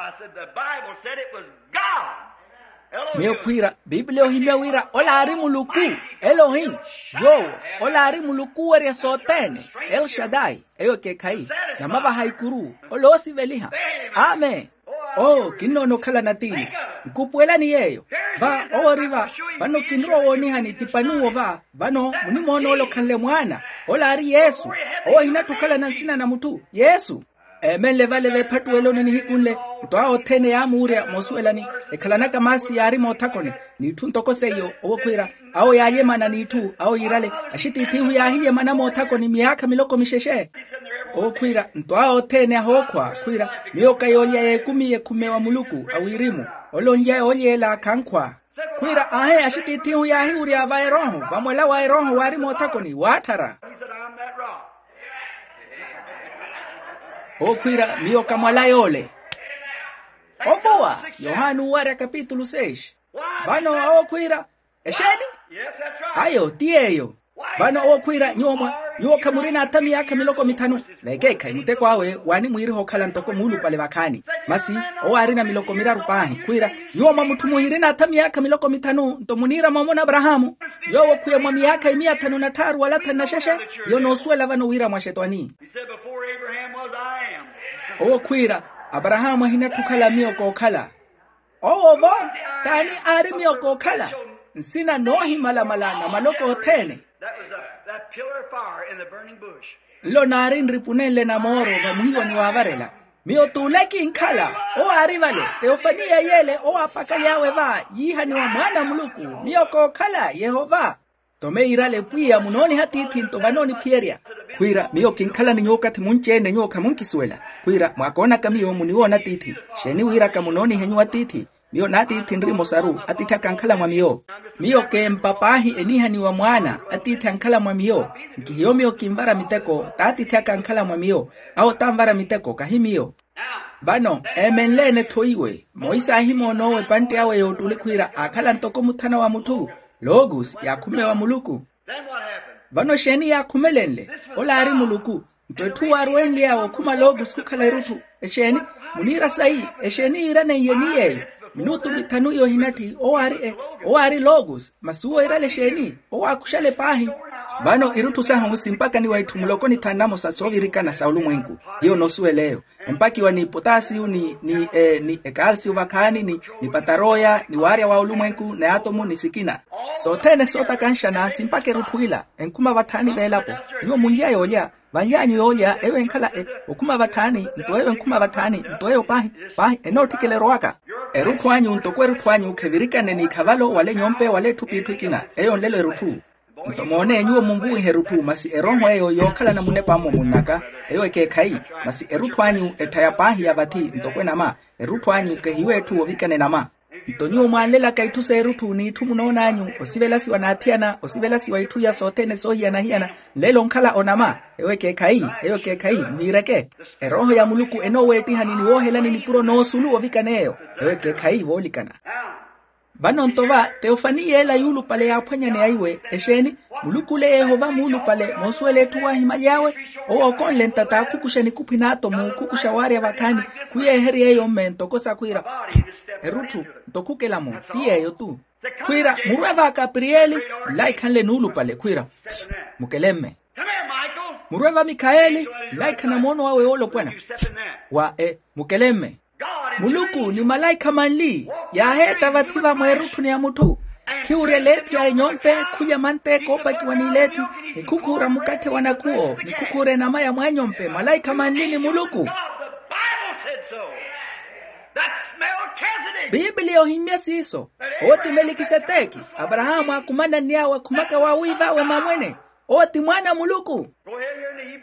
Miyo khwiira piipiliya ohimya wira ola aari muluku, elohim. Yoowo ola aari muluku owerya sothene, elshadai. Eyo ekeekhayi namavaha ikuru. Ola oosiveliha. Amen. Oo kinnoona okhala natiini. Nkupuwelani yeeyo. Va owo ori va. Vano kinrowa woonihani ti pan'uwo va. Vano munimoona ole okhanle mwaana. Ola aari yesu. Owo ohinatthu okhalana nsina na mutthu yesu. Eemenle vale veephattuweloni nihiku nle. Nto awo othene yaamuurya moosuwelani. Ekhalanaka maasi yaari moothakoni. N'itthu ntoko seiyo owo khwiira. Awo yaalyemana n'itthu awo yiirale. Axitiithi ihu yaahiyemana moothakoni miyaakha miloko mixexe. Owo khwiira nto awo othene ahookhwa khwiira, miyo ka yoolya y'ekumi y'ekhume wa muluku a wirimu. Ole onlya yoolyeela khankhwa. Khwiira aahe axitiithi ihu yaahiwurya va erooho vamwala wa erooho waari moothakoni waatthara. Owo khwiira miyo ka mwala yoole. Ovuwa yohani uwarya kapitulu seis. Vano owo khwiira, exeeni? Ayo ti yeeyo. Vano owo khwiira nyuwo mwa nyuwo khamurina atha miyaakha miloko mithanu. Vekeekhayi muteko awe waanimwiiriha okhala ntoko muulupale vakhaani. Masi owo aarina miloko miraru paahi khwiira, nyuwo mwa mutthu muhirina atha miyaakha miloko mithanu nto muniira moomo n'aparahaamu. Yoowo khwiya mwa miyaakha imiya thanu na tthaaru wala thanu na xexe. Hiyo noosuwela vano wira mwa xetwani. Owo khwiira, aparahaamu ahinatthu okhala miyo kookhala. Owo-vo t'ani aari miyo kookhala? Nsina noohimalamala na maloko othene. Nlo naari nripunenle na mooro vamuhiwani waavarela. Miyo t'ule kinkhala. Owo aari vale. Teofaniya yeele owo aapakaly'awe va yiihaniwa mwaana a muluku. Miyo kookhala yehova. Tome yiirale pwiya munooniha tiithi nto vanooniphiyerya. Khwiira miyo kinkhalani nyuwo okathi munci-ene nyuwo khamunkisuwela. Khwiira mwaakoonaka miyo muniwoona tiithi. Xeeni wiiraka munoonihe nyuwo atiithi? Miyo n'atiithi nri mosaru atiithi aka ankhala mwa miyo. Miyo keempa paahi eniihaniwa mwaana atiithi ankhala mwa miyo. Nkihiyo miyo kinvara miteko t'atiithi aka ankhala mwa miyo. Awo tanvara miteko kahi miyo. Vano eemenle-ene tho iwe. Monse aahimoona owo epantte awe y'ottuli khwiira aakhala ntoko muthana wa mutthu. Logos ya khume wa muluku. Vano exeeni yaakhumelenle? Ola aari muluku. Nto etthu waarwenly'awe okhuma logos khukhala erutthu. Exeeni? Muniira sayi? Exeeni yiiraneiye ni yeeyo? Minutu mithanu iyo ohinatthi owo aari e owo aari logos masi uwo iirale exeeni? Owo aakuxale paahi. Vano irutthu sahu simpakaniwa itthu muloko ni thanu namosa soovirikana sa olumwenku. Hiyo noosuwela eyo empakiwa ni potasiyu ni ni e ni ekalsiyu vakhaani ni ni pataroya ni waarya wa olumwenku ni atomu ni sikina. Sothene sootakanxana simpaka erutthu ila enkhuma vatthaani veelapo. Nyuwo munlya yoolya vanlyaanyu yoolya eyo enkhala e okhuma vatthaani nto eyo enkhuma vatthaani nto eyo paahi paahi enootthikela erowaka. Erutthu anyu ntoko erutthu anyu khevirikane n'ikhavalo wala enyompe wala etthu p'itthu ekina. Eyo nlelo erutthu. Nto moone nyuwo munvuwihe erutthu masi erooho eyo yookhalana munepa-mo munnaka eyo ekeekhayi. Masi erutthu anyu etthaya paahi ya vathi ntoko enama. Erutthu anyu kehiyo etthu ovikana enama. Nto nyuwo mwaanlelaka itthu s'erutthu n'itthu munoon'anyu osivelasiwa n'athiyana osivelasiwa itthu iya sothene soohiyana-hiyana. Nlelo onkhala onama. Eyo ekeekhayi eyo ekeekhayi muhiireke. Erooho ya muluku enooweettihani ni woohelani nipuro n'osulu ovikana eyo. Eyo ekeekhayi voolikana. Vano nto va teofani yeela yuulupale yaaphwanyaneya iwe exeeni? Muluku ole yehova muulupale moosuwela etthu waahimaly'awe. Owo okonle ntata khukuxa nikuphwi n'atomu khukuxa waarya vakhaani. Khuyeeherya eyo mme ntoko sakhwiira erutthu nto khukela-mo ti yeeyo tu. Khwiira murwe va kapriyeli nlaikhanle nuulupale khwiira mukele mme. Murwe va mikhayeli nlaikhana moono wawe woolopwana wa e mukele mme. Muluku ni malaikha manli yaaheetta vathi va mweerutthuni ya mutthu. Khiwurya leethi ya enyompe khulya manteka oopakiwa n'ileethi ni khukhuura mukatthe wa nakhuwo ni khukhuura enama ya mwaanyompe malaikha manli ni muluku. Bibiliya ohimmya siiso. Owo ti melikiseteki. Aparahaamu aakumana nniy'awe akhumaka waawiiv'awe mamwene. Owo ti mwaana a muluku.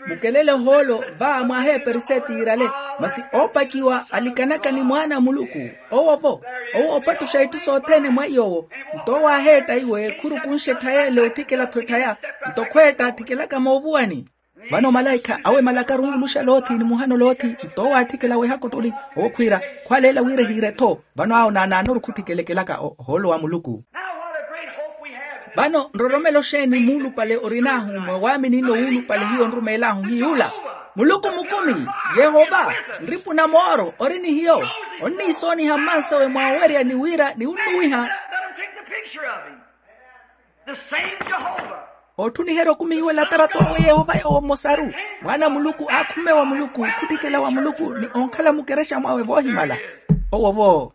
Mukelele ohoolo va mwaaheeperi setiirale masi oopakiwa alikanaka ni mwaana a muluku. Owo-vo owo oopattuxa itthu sothene mwa iy'owo. Nto owo aaheetta iwe khurukunxe etthayeele otthikela-tho etthaya. Nto khweetta atthikelaka moovuwani. Vano malaikha awe malaka arunvuluxa loothi ni muhano loothi. Nto owo aatthikela weehaka ottuli owo khwiira khwaleela wira ehiire-tho. Vano awo naanaanoru khutthikelekelaka ohoolo wa muluku. Vano nroromelo xeeni muulupale orin'ahu mwa waamini-no wuulupale hiyo onrumeel'ahu hiy'ula? Muluku mukumi, yehova, nripu na mooro ori ni hiyo. Onniisooniha mmansawe mwaawerya ni wira niwunnuwiha. Ootthuniherya okumihiwa elatarata owe yehova yoowo mmosaru. Mwaana a muluku aakhumme wa muluku khutthikela wa muluku ni onkhala mukerexa mwawe voohimala. Owo-vo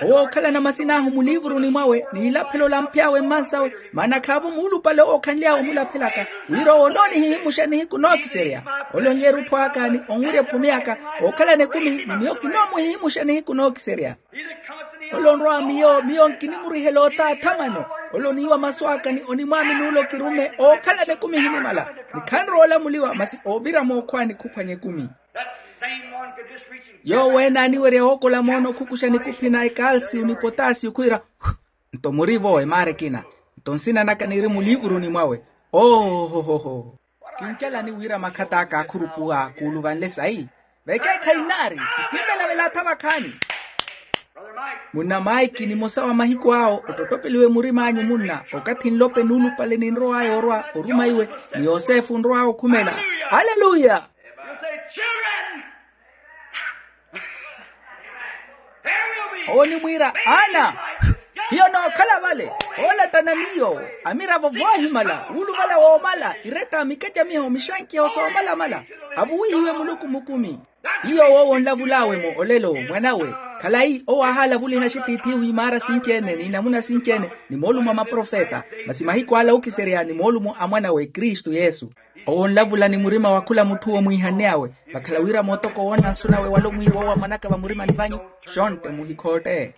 owo ookhalana masin'ahu muliivuruni mwawe n'ilaphelo lamphy'awe mmansawe. Maana khaavo muulupale owo okhanly'awe omulaphelaka wira owo onoonihihimuxa nihiku nookiserya. Ole onlyeera otthw'aka ni onwirya ephumi aka ookhalana ekumi ni miyo kinoomuhihimuxa nihiku nookiserya. Ole onrwa miyo miyo nkinimurihela otaatha mano. Ole oniiwa masu aka ni onimwaamini ole okirumme ookhalana ekumi ehinimala. Ni khanrowa olamuliwa masi oovira mookhwaani khuphwanya ekumi. Yoowo ene aaniwerya wookola moono khukuxa nikuphi na ekalsiyu ni potasiyu khwiira nto muri-vo emaara ekina. Nto nsina naka niri muliivuruni mwawe. Oohohoho. Kincalani wira makhat'aka aakhurupuwa kuuluvanle sayi. Vekeekhayi nnaari nkinvelavela atha vakhaani. Munna maiki nimosa wa mahiku awo ottottopeliwe murim'anyu munna okathi nlope nuulupale ninrow'aya orwa oruma iwe ni yosefu onrow'aya okhumela. Aleluya. Owo onimwiira ana hiyo nookhala vale. Oolattana ni yoowo amiravo voohimala wuuluvala woomala iretta mikacamiho mixankiho soomalamala. Avuwihiwe muluku mukumi. Iyo owo onlavul'awe-mo olelo mwan'awe. Khalayi owo ahaalavuliha axitiithi-ihu imaara sinci-ene n'inamuna sinci-ene ni moolumo a maprofeta masi mahiku ala ookiserya ni moolumo a mwan'awe kristu yesu. Owo onlavula ni murima wa khula mutthu-wo mwiihanne-awe vakhala wira mootoko woona nsu nawe wala omwiiwa owo amwanaka vamurimani vanyu. Xontte muhikhootte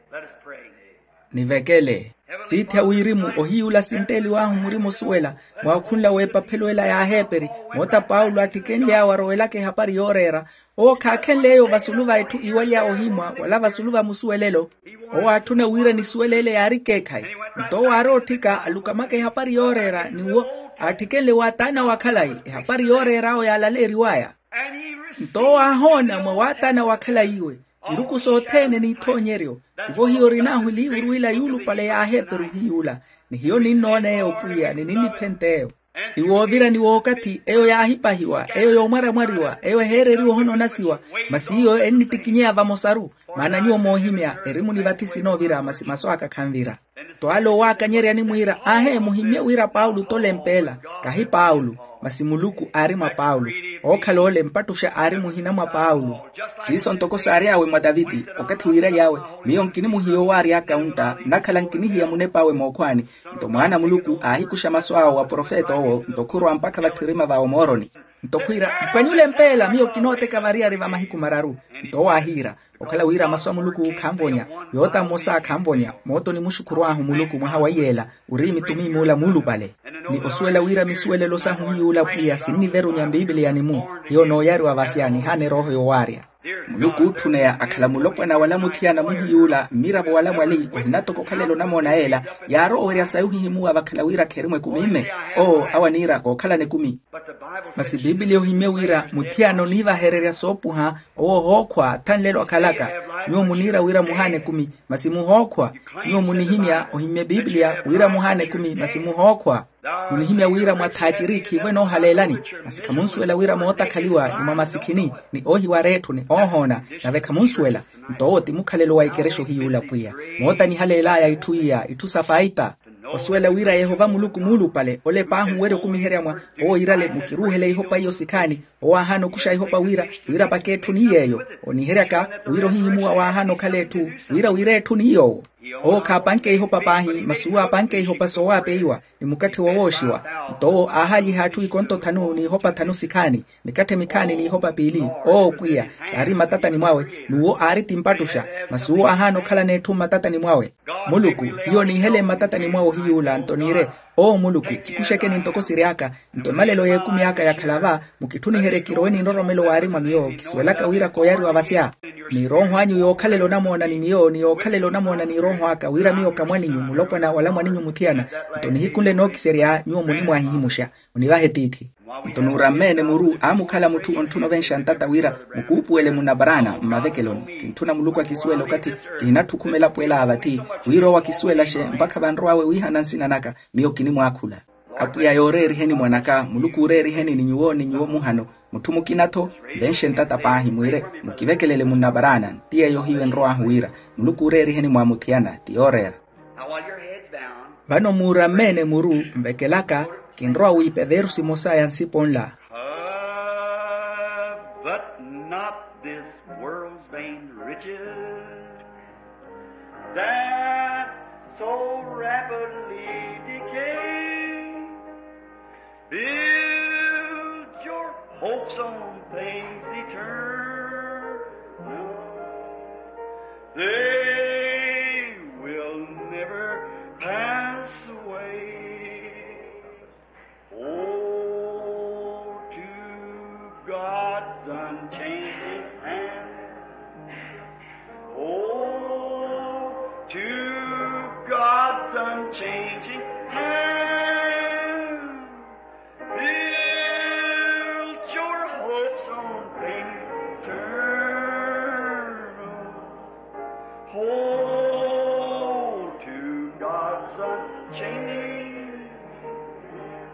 nivekele. Tiithi a wirimu ohiyuula sintteliw'ahu murima osuwela mwa okhunla w'epaphelo ela y'aheeperi moota paulo aattikenly'awe arowelaka ehapari yooreera. Owo khaakhenle eyo vasulu va etthu iwalya ohimwa wala vasulu va musuwelelo. Owo aatthuna wira nisuwele ele yaari ekeekhayi. Nto owo aari ootthika alukamaka ehapari yooreera ni wo aattikenle wa taana wa khalayi ehapari yooreer'awe yaalaleeriw'aya. Nto owo aahoona mwa waataana wa khalayi iwe iruku sothene n'ithoonyeryo. Tivo hiyo orin'ahu eliivuru ila yuulupale y'aheeperu hiy'ula ni hiyo ninnoona eyo pwiya ni ninniphent'eyo. Ni woovira ni wookathi eyo yaahipahiwa eyo yoomwaramwariwa eyo eheereriwa ohona onasiwa. Masi iyo ennittikinyeya vamosaru. Maana nyuwo moohimya erimu ni vathi sinoovira masi masu aka khanvira. Nto ale owaakanyerya animwiira aahe muhimmye wira paulo t'ole mpeela. Kahi paulo, masi muluku aari mwa paulo. Ookhala ole mpattuxa aari muhina mwa paulo. Siiso ntoko saary'awe mwa taviti. Okathi wiiraly'awe, miyo nkinimuhiya owaary'aka ontta nnakhala nkinihiya munep'awe mookhwaani. Nto mwaana a muluku aahikuxa masu awo wa profeta owo nto khurwa mpakha vatthirima va omooroni. Nto khwiira, mpwanyule mpeela miyo kinooteka variyari va mahiku mararu. Nto owo aahiira, okhala wira masu a muluku khanvonya. Yoota mmosa khanvonya mooto ni muxukhuru ahu muluku mwaha wa iyeela. Ori mitumi muula muulupale. Ni osuwela wira misuwelelo sahu hiy'ula pwiya sinniverunya mpiipiliyani-mu. Hiyo nooyariwa vasya nihaana erooho yowaarya. Muluku ootthuneya akhala mulopwana wala muthiyana muhiy'ula mmiravo wala mwali ohinatoko okhalela onamoona yeela. Yaarowerya sayi ohihimuwa vakhala wira kherimwa ekumi mme. Owo awo aniira kookhalana ekumi. Masi piipiliya ohimmye wira muthiyana oniivahererya soopuha. Owo ohookhwa thanlelo akhalaka. Nyuwo muniira wira muhaana ekumi masi muhookhwa. Nyuwo munihimya ohimmye piipiliya wira muhaana ekumi masi muhookhwa. Munihimya wira mwathaaciri khiivo enoohaleelani. Masi khamunsuwela wira mootakhaliwa ni mwa masikhini ni oohiwara etthu ni oohoona. Nave khamunsuwela. Nto owo ti mukhalelo wa ikerexa ohiy'ula pwiya. Moota nihaleel'aya itthu iya itthu sa faita. Osuwela wira yehova muluku muulupale ole paahi owerya okumiherya mwa owo iirale mukiruuhele ihopa iyo sikhaani. Owo aahaana okuxa ihopa wira wira paka etthu ni yeeyo. Oniheryaka wira ohihimuwa waahaana okhala etthu wira wira etthu ni yoowo. Owo khaapanke ihopa paahi masi uwo aapanke ihopa soowaapeiwa ni mukatthe wowooxiwa. Nto owo aahaaliha atthu ikonto thanu n'ihopa thanu sikhaani mikatthe mikhaani n'ihopa piili. Owo pwiya saari mmatatani mwawe. N'uwo aari ti mpattuxa masi uwo aahaana okhalana etthu mmatatani mwawe. Muluku hiyo niihele mmatatani mwawe ohiy'ula nto niire, owo muluku kikuxekeni ntoko siry'aka. Nto emalelo y'ekumi aka yakhala va mukitthuniherye kirowe ni nroromelo waari mwa miyo kisuwelaka wira kooyariwa vasya. Ni erooho anyu yookhalela onamoona ni miyo ni yookhalela onamoona n'erooho aka wira miyo ka mwaninyu mulopwana wala mwaninyu muthiyana. Nto nihiku nle nookiserya nyuwo munimwahihimuxa munivahe tiithi. Nto nuurammeene muru aamukhala mutthu ontthuna ovenxa ntata wira mukuupuwele munaparaana mmavekeloni. Kintthuna muluku akisuwele okathi kihinatthukhume elapo ela a vathi wira owo akisuwelaxe mpakha vanrow'awe wiihana nsina naka. Miyo kinimwaakhula apwiya yooreeriheni mwanaka muluku ooreeriheni ni nyuwo ni nyuwo muhano. Mutthu mukina-tho nvenxe ntata paahi mwiire mukivekelele munnaparaana nti yeeyo hiyo enrow'ahu wira muluku ooreeriheni mwa muthiyana ti yooreera. Vano muurammeene muru nvekelaka kinrowa wiipa everusi emosa ya nsipo nla. But not this world's vain riches that so rapidly decay. Build your hopes on things eternal. They will never pass away. Oh, to God's unchanging hand. Oh, to God's unchanging hand. Build your hopes on things eternal. Hold to God's unchanging hand.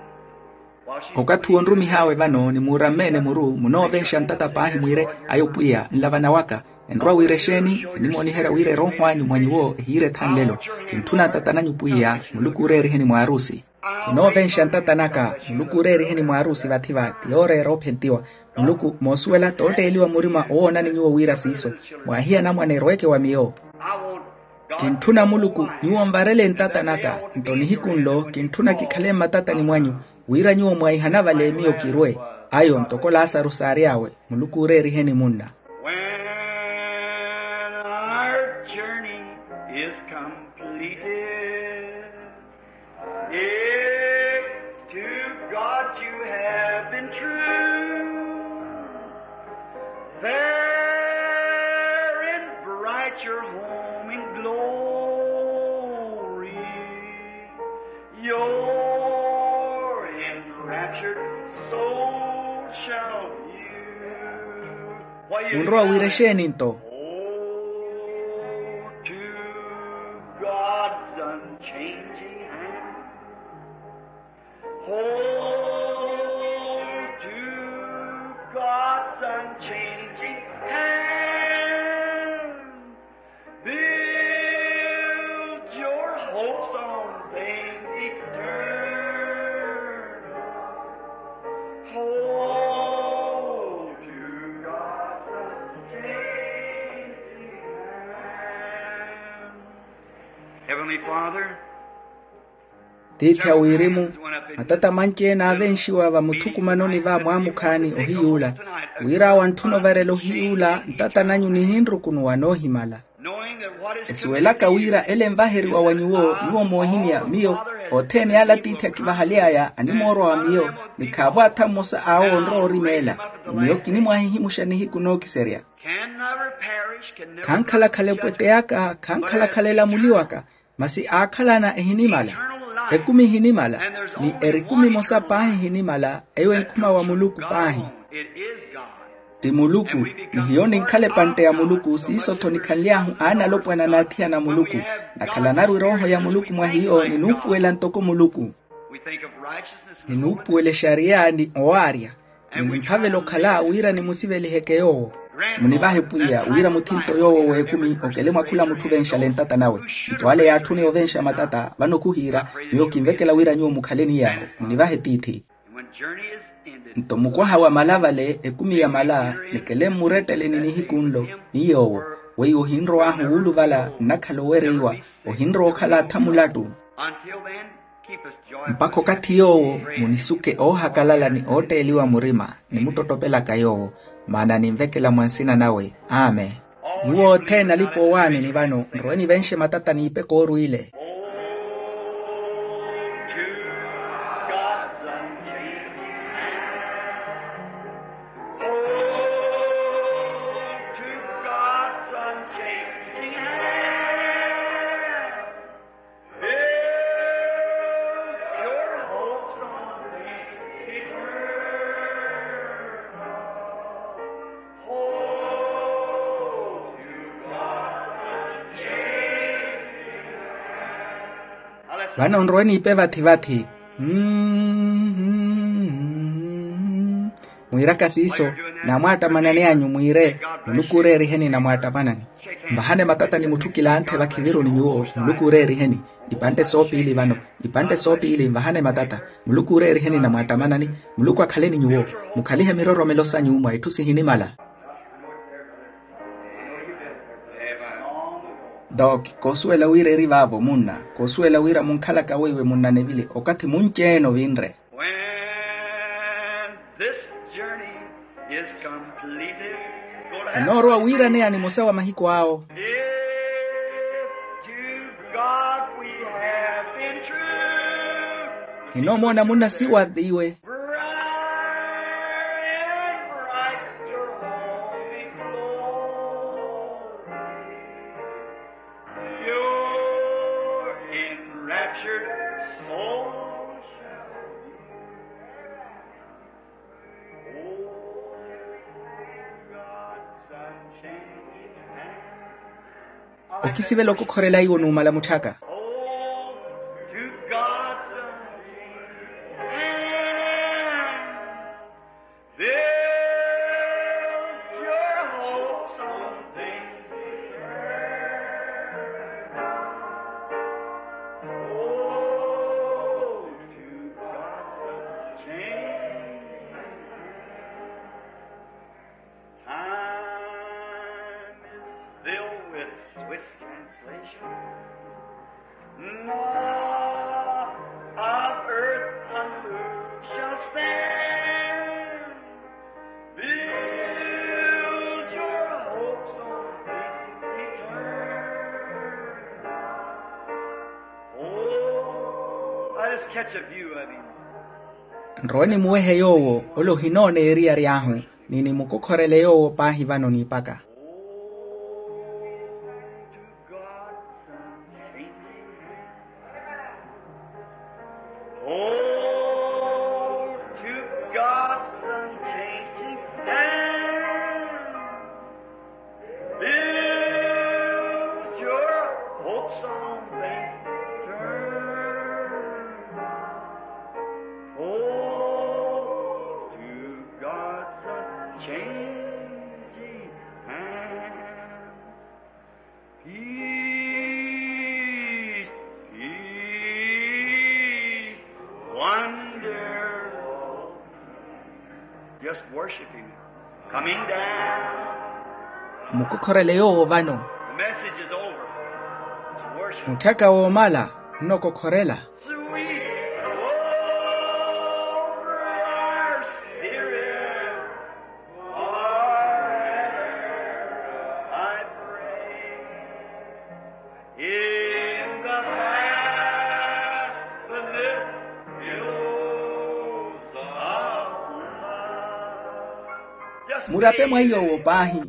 Okathi wonrumih'awe vano ni muurammeene muru munoovenxa ntata paahi mwiire ayo pwiya nlavana waka. Enrowa wira exeeni enimooniherya wira erooho anyu mwa nyuwo ehiire thanlelo. Kintthuna ntata nanyu pwiya muluku ooreeriheni mwaarusi. Kinoovenxa ntata naka muluku ooreeriheni mwaarusi vathi va ti yooreera oophentiwa. Muluku moosuwela tootteeliwa murima owoonani nyuwo wira siiso mwaahiya anamwane eroweke wa miyo. Kintthuna muluku nyuwo nvarele ntata naka. Nto nihiku nlo kintthuna kikhale mmatatani mwanyu wira nyuwo mwaihana vale miyo kirwe. Ayo ntoko lasaru saary'awe muluku ooreeriheni munna. When our journey is completed, if to God you have been true, there in bright your home in glory, your enraptured soul shall view. Munrowa wira exeeni nto? Oh, to God's unchanging hand. Hold to God's unchanging hand. Tiithi a wirimu, matata manci-ene aavenxiwa vamuthukumanoni va mwaamukhaani ohiy'ula, wira awo antthuna ovarela ohiy'ula ntata nanyu nihinrukunuwa noohimala. Esuwelaka wira ele envaheriwa wa nyuwo, nyuwo moohimya miyo, othene ala tiithi akivahaly'aya animoorwa wa miyo, ni khaavo atha mmosa awo onrowa orimeela. Ni miyo kinimwahihimuxa nihiku nookiserya. Khankhalakhala epwete aka, khankhalakhala elamuli waka, masi aakhalana ehinimala, ekumi ehinimala, ni erikumi emosa paahi ehinimala. Eyo enkhuma wa muluku paahi. Ti muluku. Ni hiyo ninkhala epantte ya muluku siiso-tho nikhanly'ahu aanalopwana n'athiyana a muluku. Nakhalanaru erooho ya muluku mwa hiyo ninuupuwela ntoko muluku. Ninuupuwela exariya ni owaarya. Ni nimphavela okhala wira nimusiveliheke yoowo. Munivahe pwiya wira muthinto yoowo w'ekumi okele mwa khula mutthu ovenxale ntata nawe. Nto ale yaatthuni ovenxa matata vano khuhiira. Miyo kinvekela wira nyuwo mukhale ni yaawo. Munivahe tiithi. Nto mukwaha wamala vale ekumi yamala, nikele mmurettele ni nihiku nlo, ni yoowo, weiwo ohinrow'ahu wuuluvala nnakhala owereiwa, ohinrowa okhala atha mulattu. Mpakha okathi yoowo munisuke oohakalala ni ootteeliwa murima, nimuttottopelaka yoowo, maana ninvekela mwa nsina nawe. Amen. Nyuwo othene alipa owaamini vano nrowe nivenxe matata n'ipe koorwiile. Vano nrowe niipe vathi-vathi. Mmm. Mwiiraka siiso, namwaattamanani anyu mwiire, muluku ooreeriheni namwaattamanani. Nvahane matata ni mutthukila anthe vakhiviruni nyuwo, muluku ooreeriheni. Ipantte soopiili vano, ipantte soopiili nvahane matata. Muluku ooreeriheni namwaattamanani. Muluku akhale ni nyuwo. Mukhalihe miroromelo sanyu mwa itthu sihinimala. Doki koosuwela wira eri vaavo munna. Koosuwela wira munkhalaka weiwe munna nevili okathi munci-ene ovinre. When this journey is completed, kanoorowa wiiraneya nimosa wa mahiku awo. If to God we have been true, hinoomoona munna siwathiwe. Bright and bright your holy glory. Your enraptured soul shall be. Oh, God's unchanging hand. Okisivela okokhorela iwo numala mutthaka. Oh, to God's unchanging hand. Build your hopes on things eternal. Oh, to God's unchanging hand. Time is filled with swift translation. Nought of earth unmoved shall stand. Build your hopes on things eternal. Oh, I just catch a view of him. Nrowe nimuwehe yoowo, ole ohinoona eriyari ahu, ni nimukokhorele yoowo paahi vano niipaka. Oh, to God's unchanging hand, build your hopes on things eternal. Oh, to God's unchanging hand. Peace, peace, wonderful. Just worship him. Coming down. Mukokhorele yoowo vano. The message is over. It's worth Mutthaka woomala nnokokhorela. Sweep over our spirit forever, I pray. In the fabulous billows of love. Murape mwa iy'owo paahi.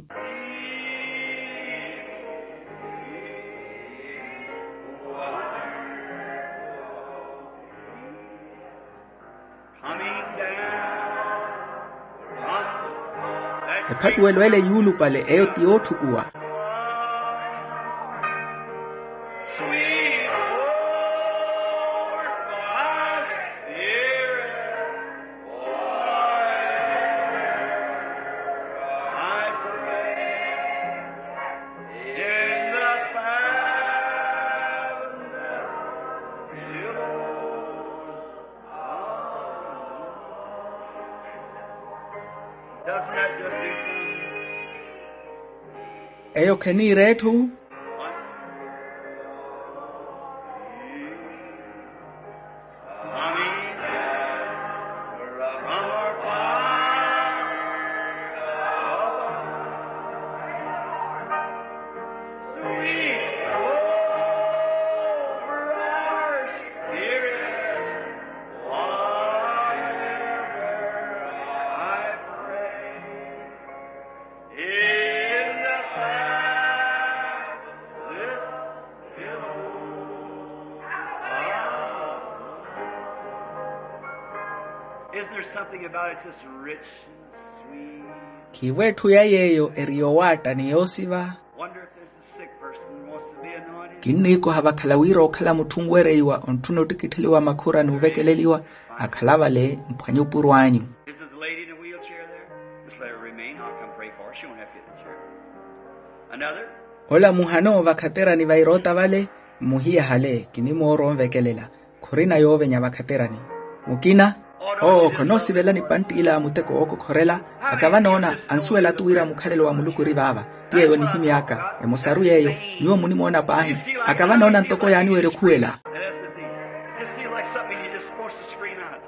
Ephattuwelo ele yuulupale eyo ti yootthukuwa. Eyo kheniira etthu. Khiivo etthu ya yeeyo eri yoowaatta ni yoosiva. Kinniikoha vakhala wira okhala mutthu onwereiwa ontthuna ottikittheliwa makhura n'uvekeleliwa. Akhala vale mphwanye opuro anyu. Ola muhano vakhaterani vaira otta vale. Mmuhiyahale kinimoora onvekelela. Khurina yoovenya vakhaterani. Mukina owo khonoosivela nipanttiila a muteko wookokhorela. Aka vanoona ansuwela-tu wira mukhalelo wa muluku ori vaava. Ti yeeyo nihimy'aka emosaru yeeyo. Nyuwo munimoona paahi. Aka vanoona ntoko yaaniwerya okhuwela.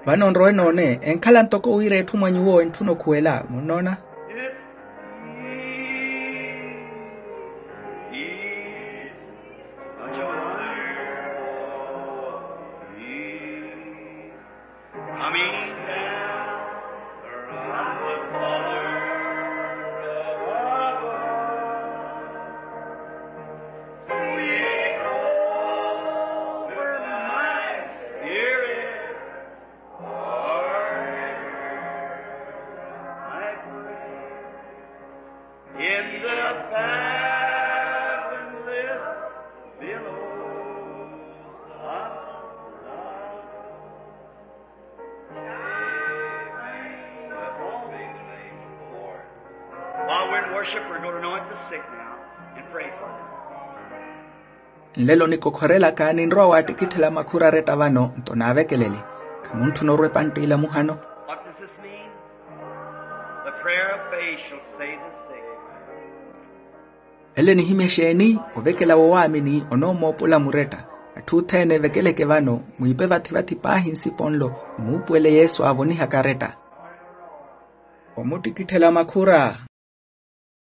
Vano nrowe noone enkhala ntoko wira etthu mwa nyuwo entthuna okhuwela munnoona. While we're in worship, we're going to anoint the sick now and pray for them. Nlelo nikokhorelaka ninrowa waattikitthela makhura aretta vano nto naavekelele. Khamuntthuna orwa epanttiila muhano. What does this mean? The prayer of faith shall save the sick. Ele nihimya exeeni? Ovekela wowaamini onoomoopola muretta. Atthu othene evekeleke vano mwiipe vathi-vathi paahi nsipo nlo mmuupuwele yesu aavonihaka aretta. Omuttikitthela makhura.